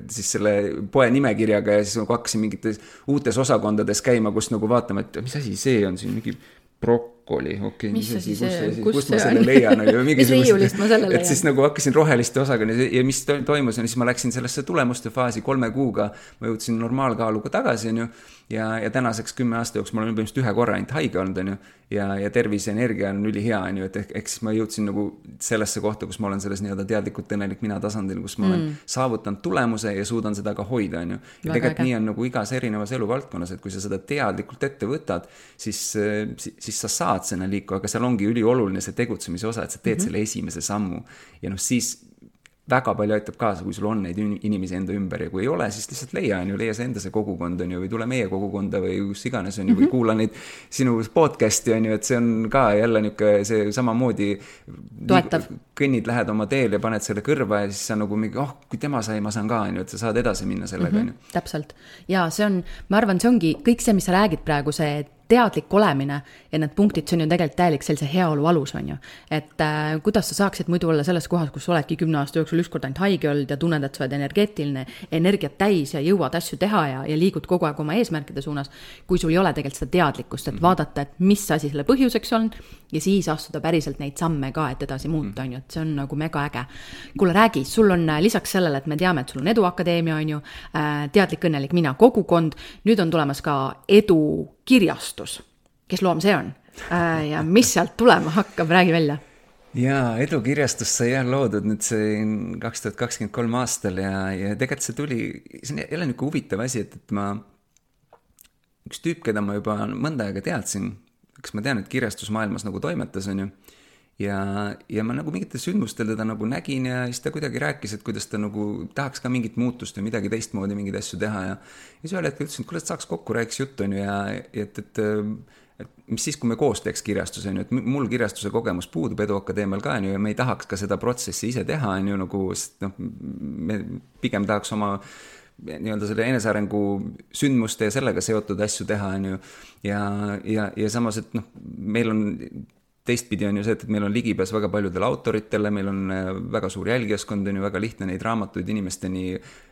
siis selle poe nimekirjaga ja siis nagu hakkasin mingites uutes osakondades käima, kus nagu vaatama, et mis asi see on siin, mingi prok-, oli, okei okay,, mis see siis, kus, kus kus see ma selle leian, mis riiulist ma selle leian? Et siis nagu hakkasin roheliste osaga ja mis toimus, ja siis ma läksin sellesse tulemuste faasi kolme kuuga, ma jõudsin normaalkaaluga tagasi, on ju, ja, ja tänaseks kümme aasta jooksul ma olen põhimõtteliselt ühe korra ainult haige olnud, on ju, ja, ja tervis ja energia on üli hea, on ju, et ehk, ehk siis ma jõudsin nagu sellesse kohta, kus ma olen selles nii-öelda teadlikult õnnelik mina tasandil, kus ma olen mm. saavutanud tulemuse ja suudan seda ka hoida, on ju. Ja tegelikult nii on nagu igas erinevas eluvaldkonnas, et kui sa seda teadlikult ette võtad, siis, siis sa saad sinna liiku, aga seal ongi ülioluline see tegutsemise osa, et sa teed mm-hmm. selle esimese sammu. Ja noh, siis väga palju aitab kaasa, kui sul on neid inimesi enda ümber ja kui ei ole, siis lihtsalt leia, on ju, leia see enda see kogukond, on ju, või tule meie kogukonda või kus iganes, on ju, või kuula neid sinu podcasti, on ju, et see on ka jälle niisugune see samamoodi toetav. Kõnnid, lähed oma teel ja paned selle kõrva ja siis sa nagu mingi, oh, kui tema sai, ma saan ka, on ju, et sa saad edasi minna sellega, mm-hmm. on ju. Täpselt. Ja see on, ma arvan, see ongi kõik see, mis sa räägid praegu, see teadlik olemine ja need punktid, see on ju tegelikult täielik sellise heaolu alus, on ju. Et äh, kuidas sa saaksid muidu olla selles kohas, kus sa oledki kümne aasta jooksul ükskord ainult haige olnud ja tunned, et sa oled energeetiline, energiat täis ja jõuad asju teha ja, ja liigud kogu aeg oma eesmärkide suunas, kui sul ei ole tegelikult seda teadlikkust, et vaadata, et mis asi selle põhjuseks on ja siis astuda päriselt neid samme ka, et edasi muuta, on ju, et see on nagu mega äge. Kuule, räägi, sul on lisaks sellele, et me teame, et sul on Edu Akadeemia, on ju, äh, teadlik õnnelik mina kogukond, nüüd on tulemas ka Edu kirjastus, kes loom see on äh, ja mis sealt tulema hakkab, räägi välja. Jaa, Edu kirjastus sai jah loodud nüüd see kaks tuhat kakskümmend kolm aastal ja, ja tegelikult see tuli, see on jälle niisugune huvitav asi, et, et ma üks tüüp, keda ma juba mõnda aega teadsin, eks ma tean, et kirjastusmaailmas nagu toimetas, on ju, ja, ja ma nagu mingitel sündmustel teda nagu nägin ja siis ta kuidagi rääkis, et kuidas ta nagu tahaks ka mingit muutust või midagi teistmoodi mingeid asju teha ja ja siis ühel hetkel ütlesin, et kuule, et saaks kokku, rääkiks juttu, on ju, ja et, et, et mis siis, kui me koos teeks kirjastuse, on ju, et mul kirjastuse kogemus puudub Edu Akadeemial ka, on ju, ja me ei tahaks ka seda protsessi ise teha, on ju, nagu, noh, me pigem tahaks oma nii-öelda selle enesearengu sündmuste ja sellega seotud asju teha, on ju, ja, ja, ja samas, et noh, meil on teistpidi on ju see, et meil on ligipääs väga paljudele autoritele, meil on väga suur jälgijaskond, on ju, väga lihtne neid raamatuid inimesteni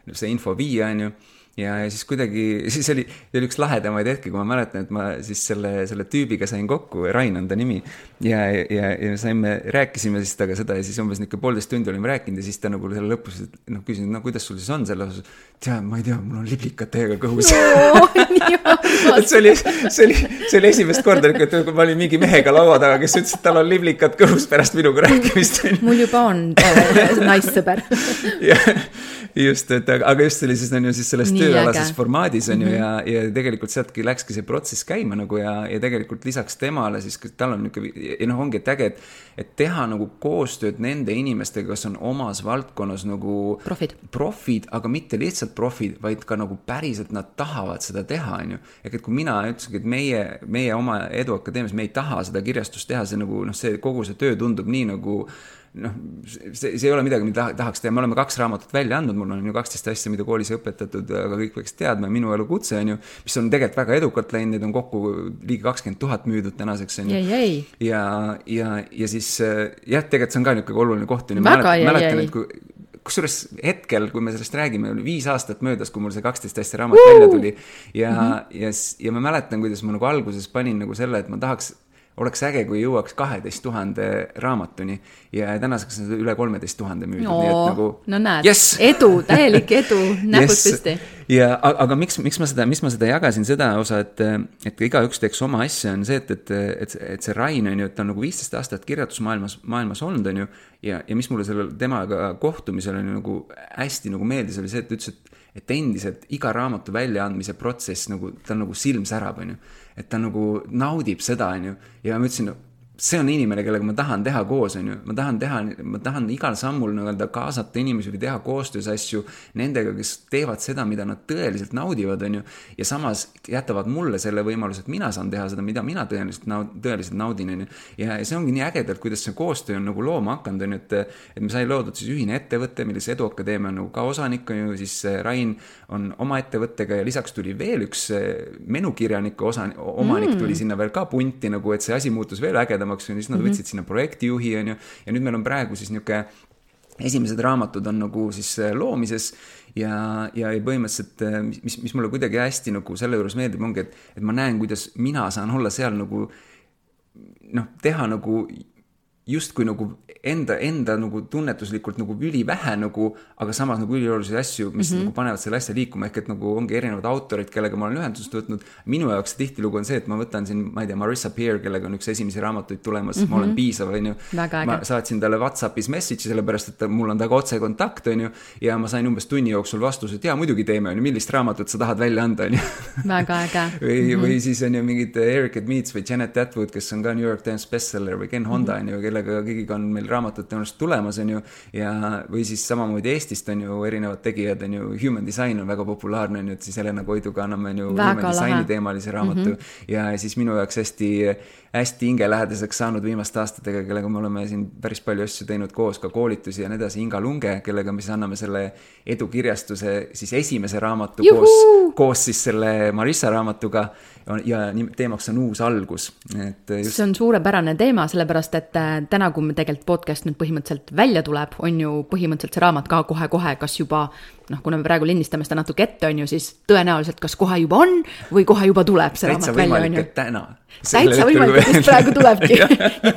see info viia, on ju, ja, ja siis kuidagi, siis oli, oli üks lahedamaid hetki, kui ma mäletan, et ma siis selle, selle tüübiga sain kokku, Rain on ta nimi, ja, ja, ja saime, rääkisime siis taga seda ja siis umbes niisugune poolteist tundi olime rääkinud ja siis ta nagu selle lõpus, noh, küsin, no kuidas sul siis on selle osas, tea, ma ei tea, mul on liblikad täiega kõhus. et see oli, see oli, see oli esimest korda, et ma olin mingi mehega laua taga, kes ütles, et tal on liblikad kõhus pärast minuga rääkimist. mul juba on naissõber. just, et aga just oli siis, on ju, siis selles tööalases formaadis on ju, ja, ja tegelikult sealtki läkski see protsess käima nagu ja, ja tegelikult lisaks temale siis, tal on niisugune, ja noh, ongi et äge, et, et teha nagu koostööd nende inimestega, kes on omas valdkonnas nagu profid, profid, aga mitte lihtsalt profid, vaid ka nagu päriselt nad tahavad seda teha, on ju. Ehk et kui mina ütlesingi, et meie, meie oma Edu Akadeemias, me ei taha seda kirjastust teha, see nagu, noh, see kogu see töö tundub nii nagu noh, see, see ei ole midagi, mida tahaks teha, me oleme kaks raamatut välja andnud, mul on ju kaksteist asja, mida koolis õpetatud, aga kõik peaks teadma, minu elu kutse on ju, mis on tegelikult väga edukalt läinud, need on kokku ligi kakskümmend tuhat müüdud tänaseks on ju. Jäi, jäi. Ja, ja, ja siis jah, tegelikult see on ka niisugune oluline koht. Väga jäi, mäletan, jäi. Kui, kusjuures hetkel, kui me sellest räägime, oli viis aastat möödas, kui mul see kaksteist asja raamat uh! välja tuli ja, mm-hmm. ja, ja ma mäletan, kuidas ma nagu alguses panin nagu selle, et ma tahaks oleks äge, kui jõuaks kaheteist tuhande raamatuni ja tänaseks on üle kolmeteist tuhande müüdud. No, nii et nagu, no näed, yes! Edu, täielik edu, näpud yes! Püsti. Ja, aga miks, miks, ma seda, miks ma seda jagasin, seda osa, et, et iga üks teeks oma asja, on see, et, et, et, et see Rain on ju, et on nagu viisteist aastat kirjatusmaailmas maailmas olnud, on ju, ja, ja mis mulle selle temaga kohtumisel on nagu hästi nagu meeldis, oli see, et ütles, et et endiselt iga raamatu väljaandmise protsess nagu, ta nagu silm särab, on ju. Et ta nagu naudib seda, on ju. Ja ma ütlesin, see on inimene, kellega ma tahan teha koos, on ju. Ma tahan teha, ma tahan igal sammul nii-öelda kaasata inimesi või teha koostöös asju nendega, kes teevad seda, mida nad tõeliselt naudivad, on ju. Ja samas jätavad mulle selle võimaluse, et mina saan teha seda, mida mina tõeliselt, naud, tõeliselt naudin, on ju. Ja see ongi nii ägedalt, kuidas see koostöö on nagu looma hakanud, on ju, et, et me sai loodud siis ühine ettevõte, milles Edu Akadeemia on nagu ka osanik, on ju, siis Rain on oma ettevõttega ja lisaks tuli veel üks menukirjaniku osa, omanik tuli mm. sinna veel ka punti, nagu, et see asi muutus veel ägedam. Ja siis nad võtsid sinna projektijuhi, on ju, ja nüüd meil on praegu siis niisugune, esimesed raamatud on nagu siis loomises ja, ja põhimõtteliselt, mis, mis mulle kuidagi hästi nagu selle juures meeldib, ongi, et, et ma näen, kuidas mina saan olla seal nagu noh, teha nagu justkui nagu enda, enda nagu tunnetuslikult nagu ülivähe nagu, aga samas nagu üliolulisi asju, mis mm-hmm. nagu panevad selle asja liikuma, ehk et nagu ongi erinevad autorid, kellega ma olen ühendust võtnud. Minu jaoks tihtilugu on see, et ma võtan siin, ma ei tea, Marissa Peer, kellega on üks esimesi raamatuid tulemas, mm-hmm. ma olen piisav, on ju. Ma saatsin talle WhatsAppis message'i, sellepärast, et mul on taga otse kontakt, on ju, ja ma sain umbes tunni jooksul vastus, et jaa, muidugi teeme, on ju, millist raamatut sa tahad välja anda, on ju. Väga äge. või, mm-hmm. või siis on ju mingid Eric Meets või Janet Atwood, kes on ka New York Times bestseller, või Ken Honda, mm-hmm. on ju, kellega kõigiga on meil raamatud tõenäoliselt tulemas, on ju, ja või siis samamoodi Eestist on ju erinevad tegijad, on ju, Human Design on väga populaarne, on ju, et siis Helena Koiduga anname on ju väga Human Designi teemalise raamatu mm-hmm. ja siis minu jaoks hästi, hästi hingelähedaseks saanud viimaste aastatega, kellega me oleme siin päris palju asju teinud koos, ka koolitusi ja nii edasi, Inga Lunge, kellega me siis anname selle edukirjastuse siis esimese raamatu Juhu! koos, koos siis selle Marissa raamatuga ja teemaks on uus algus. Et just... See on suurepärane teema, sellepärast, et täna, kui me tegelikult podcast nüüd põhimõtteliselt välja tuleb, on ju põhimõtteliselt see raamat ka kohe-kohe, kas juba, noh, kuna me praegu lindistame seda natuke ette, on ju, siis tõenäoliselt kas kohe juba on või kohe juba tuleb see Täitsa raamat välja, on ju. Täna. Täitsa võimalik, et just praegu tulebki.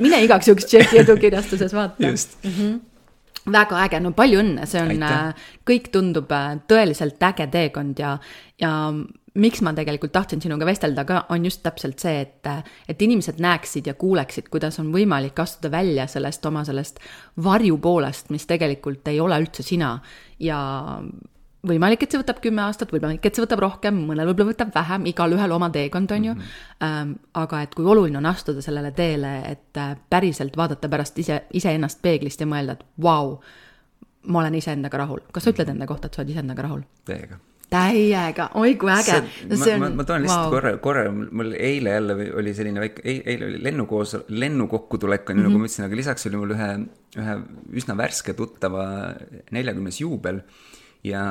Mine igaks juhuks tšeki edukirjastuses vaata. Just. Mm-hmm. Väga äge, no palju õnne, see on, Aitäh. kõik tundub tõeliselt äge teekond ja, ja miks ma tegelikult tahtsin sinuga vestelda ka, on just täpselt see, et, et inimesed näeksid ja kuuleksid, kuidas on võimalik astuda välja sellest oma sellest varjupoolest, mis tegelikult ei ole üldse sina ja võimalik, et see võtab kümme aastat, võimalik, et see võtab rohkem, mõnel võib-olla võtab vähem, igal ühel oma teekond on ju, mm-hmm. ähm, aga et kui oluline on astuda sellele teele, et päriselt vaadata pärast ise, ise ennast peeglist ja mõelda, et vau, ma olen ise endaga rahul. Kas sa ütled enda kohta, et sa oled ise endaga rahul? Täiega. Täiega, oi kui äge. See, see on, ma, ma toon lihtsalt wow. korra, korra, mul eile jälle oli selline väike, eile oli lennukoos, lennukokkutulek, on ju, mm-hmm. nagu ma ütlesin, aga lisaks oli mul ühe, ühe üsna värske tuttava neljakümnes juubel ja,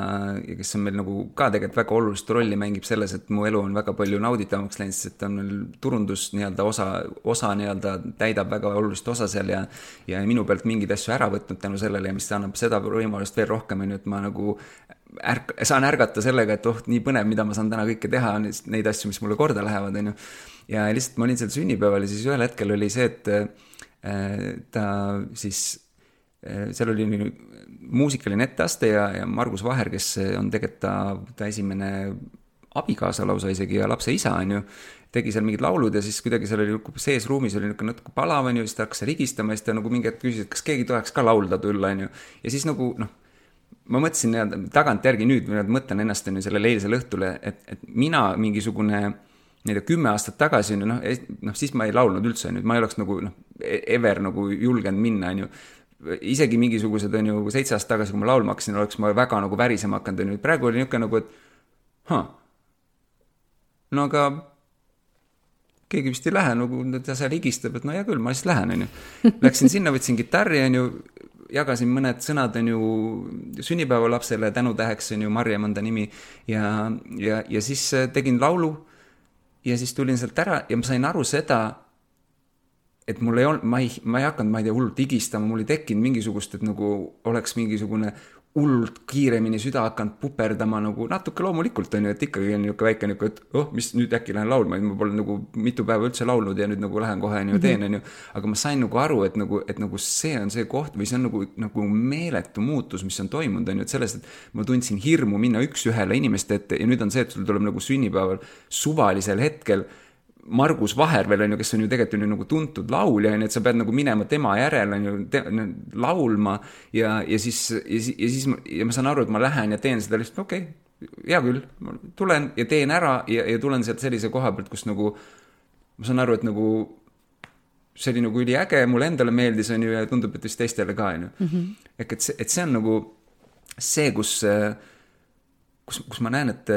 ja kes on meil nagu ka tegelikult väga olulist rolli mängib selles, et mu elu on väga palju nauditavamaks läinud, sest et on meil turundus nii-öelda osa, osa nii-öelda täidab väga olulist osa seal ja, ja minu pealt mingeid asju ära võtnud tänu sellele ja mis annab seda võimalust veel rohkem, on ju, et ma nagu ärk, saan ärgata sellega, et oh, nii põnev, mida ma saan täna kõike teha, neid asju, mis mulle korda lähevad, on ju. Ja lihtsalt ma olin seal sünnipäeval ja siis ühel hetkel oli see, et äh, ta siis seal oli muusikaline etteaste ja, ja Margus Vaher, kes on tegelikult ta, ta esimene abikaasa lausa isegi ja lapse isa, on ju, tegi seal mingid laulud ja siis kuidagi seal oli sees ruumis oli natuke palav, on ju, siis ta hakkas rigistama ja siis ta nagu mingi hetk küsis, et kas keegi tuleks ka laulda tulla, on ju. Ja siis nagu, noh, ma mõtlesin ja tagant järgi nüüd, mõtlen ennast on ju sellele eilsele õhtule, et, et mina mingisugune nii-öelda kümme aastat tagasi, no, no siis ma ei laulnud üldse, on ju, ma ei oleks nagu, noh, ever nagu julgenud minna, on ju. Isegi mingisugused on ju seitse aastat tagasi, kui ma laulma hakkasin, oleks ma väga nagu värisema hakanud, on ju. Praegu oli niisugune nagu, et huh, no aga keegi vist ei lähe, nagu ta seal higistab, et no hea küll, ma siis lähen, on ju. Läksin sinna, võtsin gitarri, on ju, jagasin mõned sõnad, on ju, sünnipäeva lapsele tänutäheks, on ju, Marjem on ta nimi, ja, ja, ja siis tegin laulu ja siis tulin sealt ära ja ma sain aru seda, et mul ei olnud, ma ei, ma ei hakanud, ma ei tea, hullult higistama, mul ei tekkinud mingisugust, et nagu oleks mingisugune hullult kiiremini süda hakanud puperdama nagu natuke loomulikult on ju, et ikkagi on niisugune väike niisugune, et oh, mis nüüd äkki lähen laulma, ma pole nagu mitu päeva üldse laulnud ja nüüd nagu lähen kohe on ju teen, on ju, aga ma sain nagu aru, et nagu, et nagu see on see koht või see on nagu, nagu meeletu muutus, mis on toimunud, on ju, et sellest, et ma tundsin hirmu minna üks ühele inimeste ette ja nüüd on see, et sul tuleb nagu sünnipäeval suvalisel hetkel Margus Vaher veel on ju, kes on ju tegelikult on ju nagu tuntud laulja, et sa pead nagu minema tema järel on ju te, laulma ja, ja siis, ja, ja siis ma, ja ma saan aru, et ma lähen ja teen seda lihtsalt, okei, okay, hea küll, ma tulen ja teen ära ja, ja tulen sealt sellise koha pealt, kus nagu ma saan aru, et nagu see oli nagu üli äge, mulle endale meeldis on ju ja tundub, et vist teistele ka on ju. Mm-hmm. Ehk et see, et see on nagu see, kus Kus, kus ma näen, et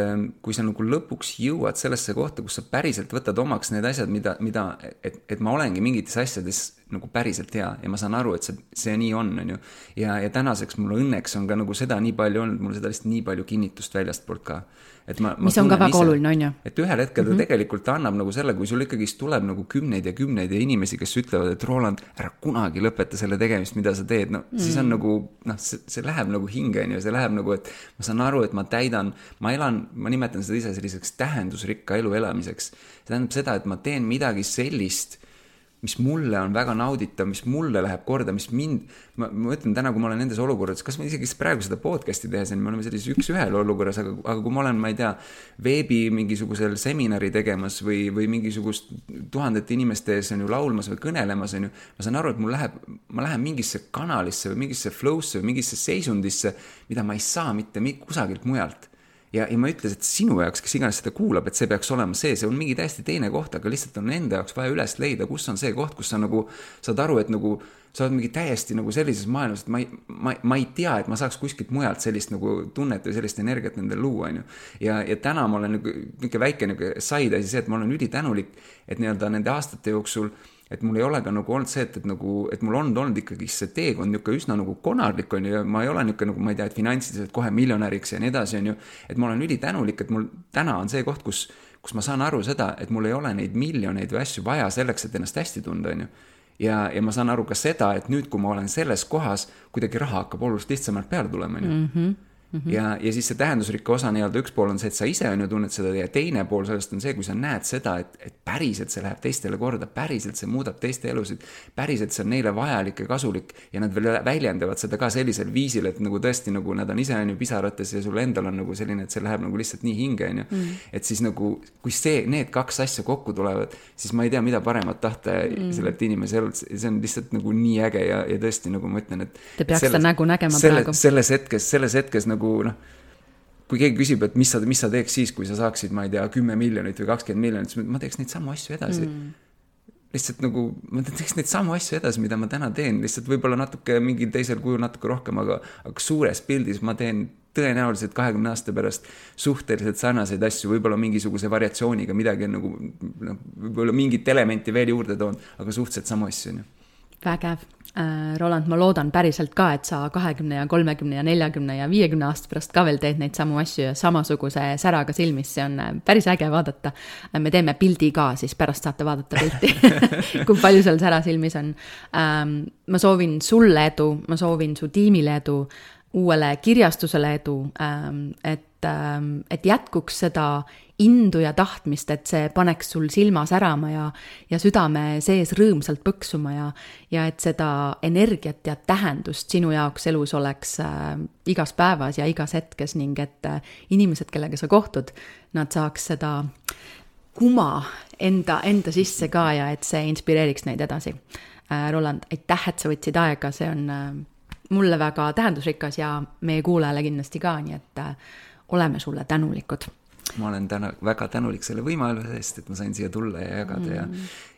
kui sa nagu lõpuks jõuad sellesse kohta, kus sa päriselt võtad omaks need asjad, mida, mida et, et ma olengi mingites asjades nagu päriselt hea ja ma saan aru, et see, see nii on, on ju. Ja, ja tänaseks mul õnneks on ka nagu seda nii palju olnud, mul seda lihtsalt nii palju kinnitust väljast poolt ka. Et ma, mis ma on ka väga ise, oluline, on ju. Et ühel hetkel mm-hmm. ta tegelikult annab nagu selle, kui sul ikkagi tuleb nagu kümneid ja kümneid ja inimesi, kes ütlevad, et Roland, ära kunagi lõpeta selle tegemist, mida sa teed, no mm. siis on nagu, noh, see, see läheb nagu hinge, on ju, see läheb nagu, et ma saan aru, et ma täidan, ma elan, ma nimetan seda ise selliseks tähendusrikka elu elamiseks. See tähendab seda, et ma teen midagi sellist, mis mulle on väga nauditav, mis mulle läheb korda, mis mind, ma, ma ütlen täna, kui ma olen nendes olukorras, kas ma isegi praegu seda podcasti tehes, me oleme sellises üks ühel olukorras, aga, aga kui ma olen, ma ei tea, veebi mingisugusel seminari tegemas või, või mingisugust tuhandete inimeste ees on ju laulmas või kõnelemas on ju, ma saan aru, et mul läheb, ma lähen mingisse kanalisse või mingisse flow'sse või mingisse seisundisse, mida ma ei saa mitte kusagilt mujalt. Ja, ja ma ütles, et sinu jaoks, kes iganes seda kuulab, et see peaks olema see, see on mingi täiesti teine koht, aga lihtsalt on enda jaoks vaja üles leida, kus on see koht, kus sa nagu saad aru, et nagu sa oled mingi täiesti nagu sellises maailmas, et ma ei, ma, ma ei tea, et ma saaks kuskilt mujalt sellist nagu tunnet või sellist energiat nendel luua, on ju. Ja, ja täna ma olen nagu, mingi väike nagu said asi see, et ma olen ülitänulik, et nii-öelda nende aastate jooksul et mul ei ole ka nagu olnud see, et, et, nagu, et mul on olnud ikkagi see teekond niisugune üsna nagu konarlik on ju, ja ma ei ole niisugune nagu, ma ei tea, et finantsiliselt kohe miljonäriks ja nii edasi on ju, et ma olen ülitänulik, et mul täna on see koht, kus, kus ma saan aru seda, et mul ei ole neid miljoneid või asju vaja selleks, et ennast hästi tunda on ju. Ja, ja ma saan aru ka seda, et nüüd, kui ma olen selles kohas, kuidagi raha hakkab oluliselt lihtsamalt peale tulema on ju. Mm-hmm. Mm-hmm. Ja, ja siis see tähendusrikka osa nii-öelda üks pool on see, et sa ise on ju tunned seda ja teine pool sellest on see, kui sa näed seda, et, et päriselt see läheb teistele korda, päriselt see muudab teiste elusid, päriselt see on neile vajalik ja kasulik ja nad veel väljendavad seda ka sellisel viisil, et nagu tõesti nagu nad on ise on ju pisarates ja sul endal on nagu selline, et see läheb nagu lihtsalt nii hinge on ju. Mm. Et siis nagu, kui see, need kaks asja kokku tulevad, siis ma ei tea, mida paremat tahta mm. sellelt inimese elult, see on lihtsalt nagu nii äge ja, ja tõesti nagu ma ütlen, et te peaks seda nägu nägema selle, praegu. Selles hetkes, selles hetkes nagu noh, kui keegi küsib, et mis sa, mis sa teeks siis, kui sa saaksid, ma ei tea, kümme miljonit või kakskümmend miljonit, siis ma teeks neid samu asju edasi. Mm. Lihtsalt nagu, ma teeks neid samu asju edasi, mida ma täna teen, lihtsalt võib-olla natuke mingil teisel kujul natuke rohkem, aga, aga suures pildis ma teen tõenäoliselt kahekümne aasta pärast suhteliselt sarnaseid asju, võib-olla mingisuguse variatsiooniga midagi nagu, no, võib-olla mingit elementi veel juurde toon, aga suhteliselt samu asju. Vägev. Roland, ma loodan päriselt ka, et sa kahekümne ja kolmekümne ja neljakümne ja viiekümne aasta pärast ka veel teed neid samu asju ja samasuguse säraga silmis, see on päris äge vaadata. Me teeme pildi ka, siis pärast saate vaadata pilti, kui palju seal sära silmis on. Ma soovin sulle edu, ma soovin su tiimile edu, uuele kirjastusele edu, et, et jätkuks seda indu ja tahtmist, et see paneks sul silma särama ja, ja südame sees rõõmsalt põksuma ja, ja et seda energiat ja tähendust sinu jaoks elus oleks äh, igas päevas ja igas hetkes ning et äh, inimesed, kellega sa kohtud, nad saaks seda kuma enda, enda sisse ka ja et see inspireeriks neid edasi. Äh, Roland, aitäh, et sa võtsid aega, see on äh, mulle väga tähendusrikas ja meie kuulajale kindlasti ka, nii et äh, oleme sulle tänulikud. Ma olen täna väga tänulik selle võimaluse eest, et ma sain siia tulla ja jagada mm.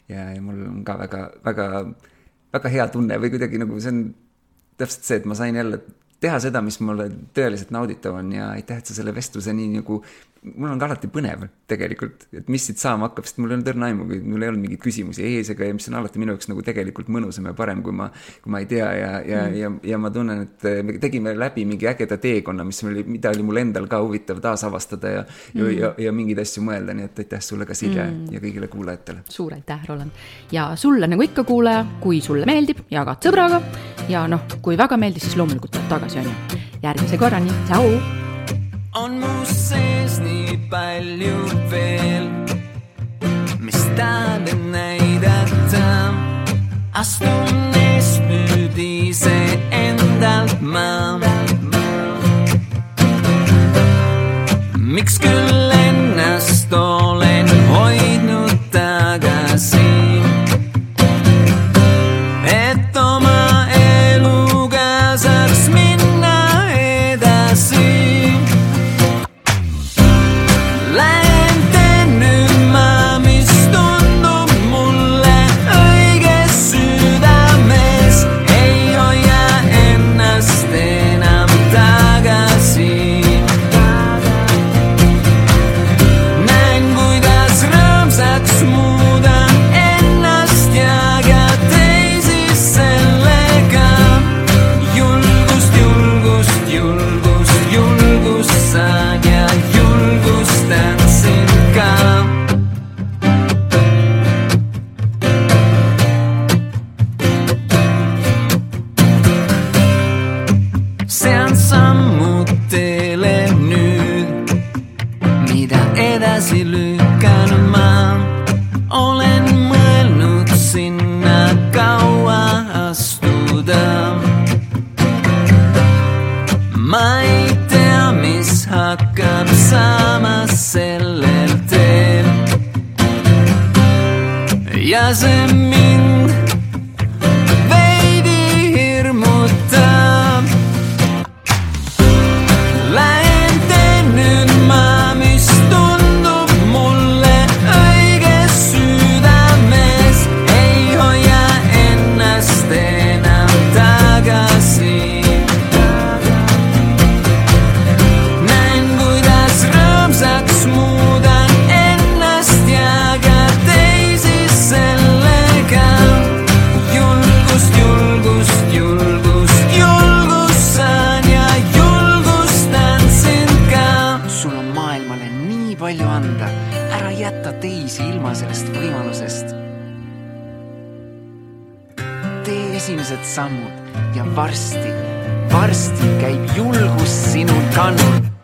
ja, ja, ja mul on ka väga, väga, väga hea tunne või kuidagi nagu see on täpselt see, et ma sain jälle teha seda, mis mulle tõeliselt nauditav on ja aitäh, et sa selle vestluse nii nagu, mul on ka alati põnev tegelikult, et mis siit saama hakkab, sest mul ei olnud õrna aimu, mul ei olnud mingeid küsimusi ees ega ja mis on alati minu jaoks nagu tegelikult mõnusam ja parem, kui ma, kui ma ei tea ja, ja, mm. ja, ja ma tunnen, et me tegime läbi mingi ägeda teekonna, mis oli, mida oli mul endal ka huvitav taasavastada ja, mm. ja, ja, ja mingeid asju mõelda, nii et aitäh sulle ka Silja mm. ja kõigile kuulajatele. Suur aitäh, Roland. Ja sulle nagu ikka kuulaja, kui sulle meeldib, jagad sõbraga ja noh, kui väga meeldis, siis loomulikult tuleb tagasi on ju. Järgmise korrani, tšau! On mu sees nii palju veel, mis tahad näidata. Astun eest nüüd ise endalt ma. Miks küll ennast olen hoidnud tagasi, et oma eluga saaks minna edasi. Edasi lükkan ma, olen mõelnud sinna. ma ei tea, mis hakkab saama sellel teel. Ja see mind veidi hirmutab. Lähen teen nüüd ma, mis tundub mulle õige südames. Ei hoia ennast enam tagasi. Näen, kuidas rõõmsaks muudan ennast ja ka teisi sellega. Julgust, julgust, julgust, julgust saan ja julgustan sind ka. Sul on maailmale nii palju anda, ära jätta teisi ilma sellest võimalusest. Tee esimesed sammud ja varsti, varsti käib julgus sinul kannul.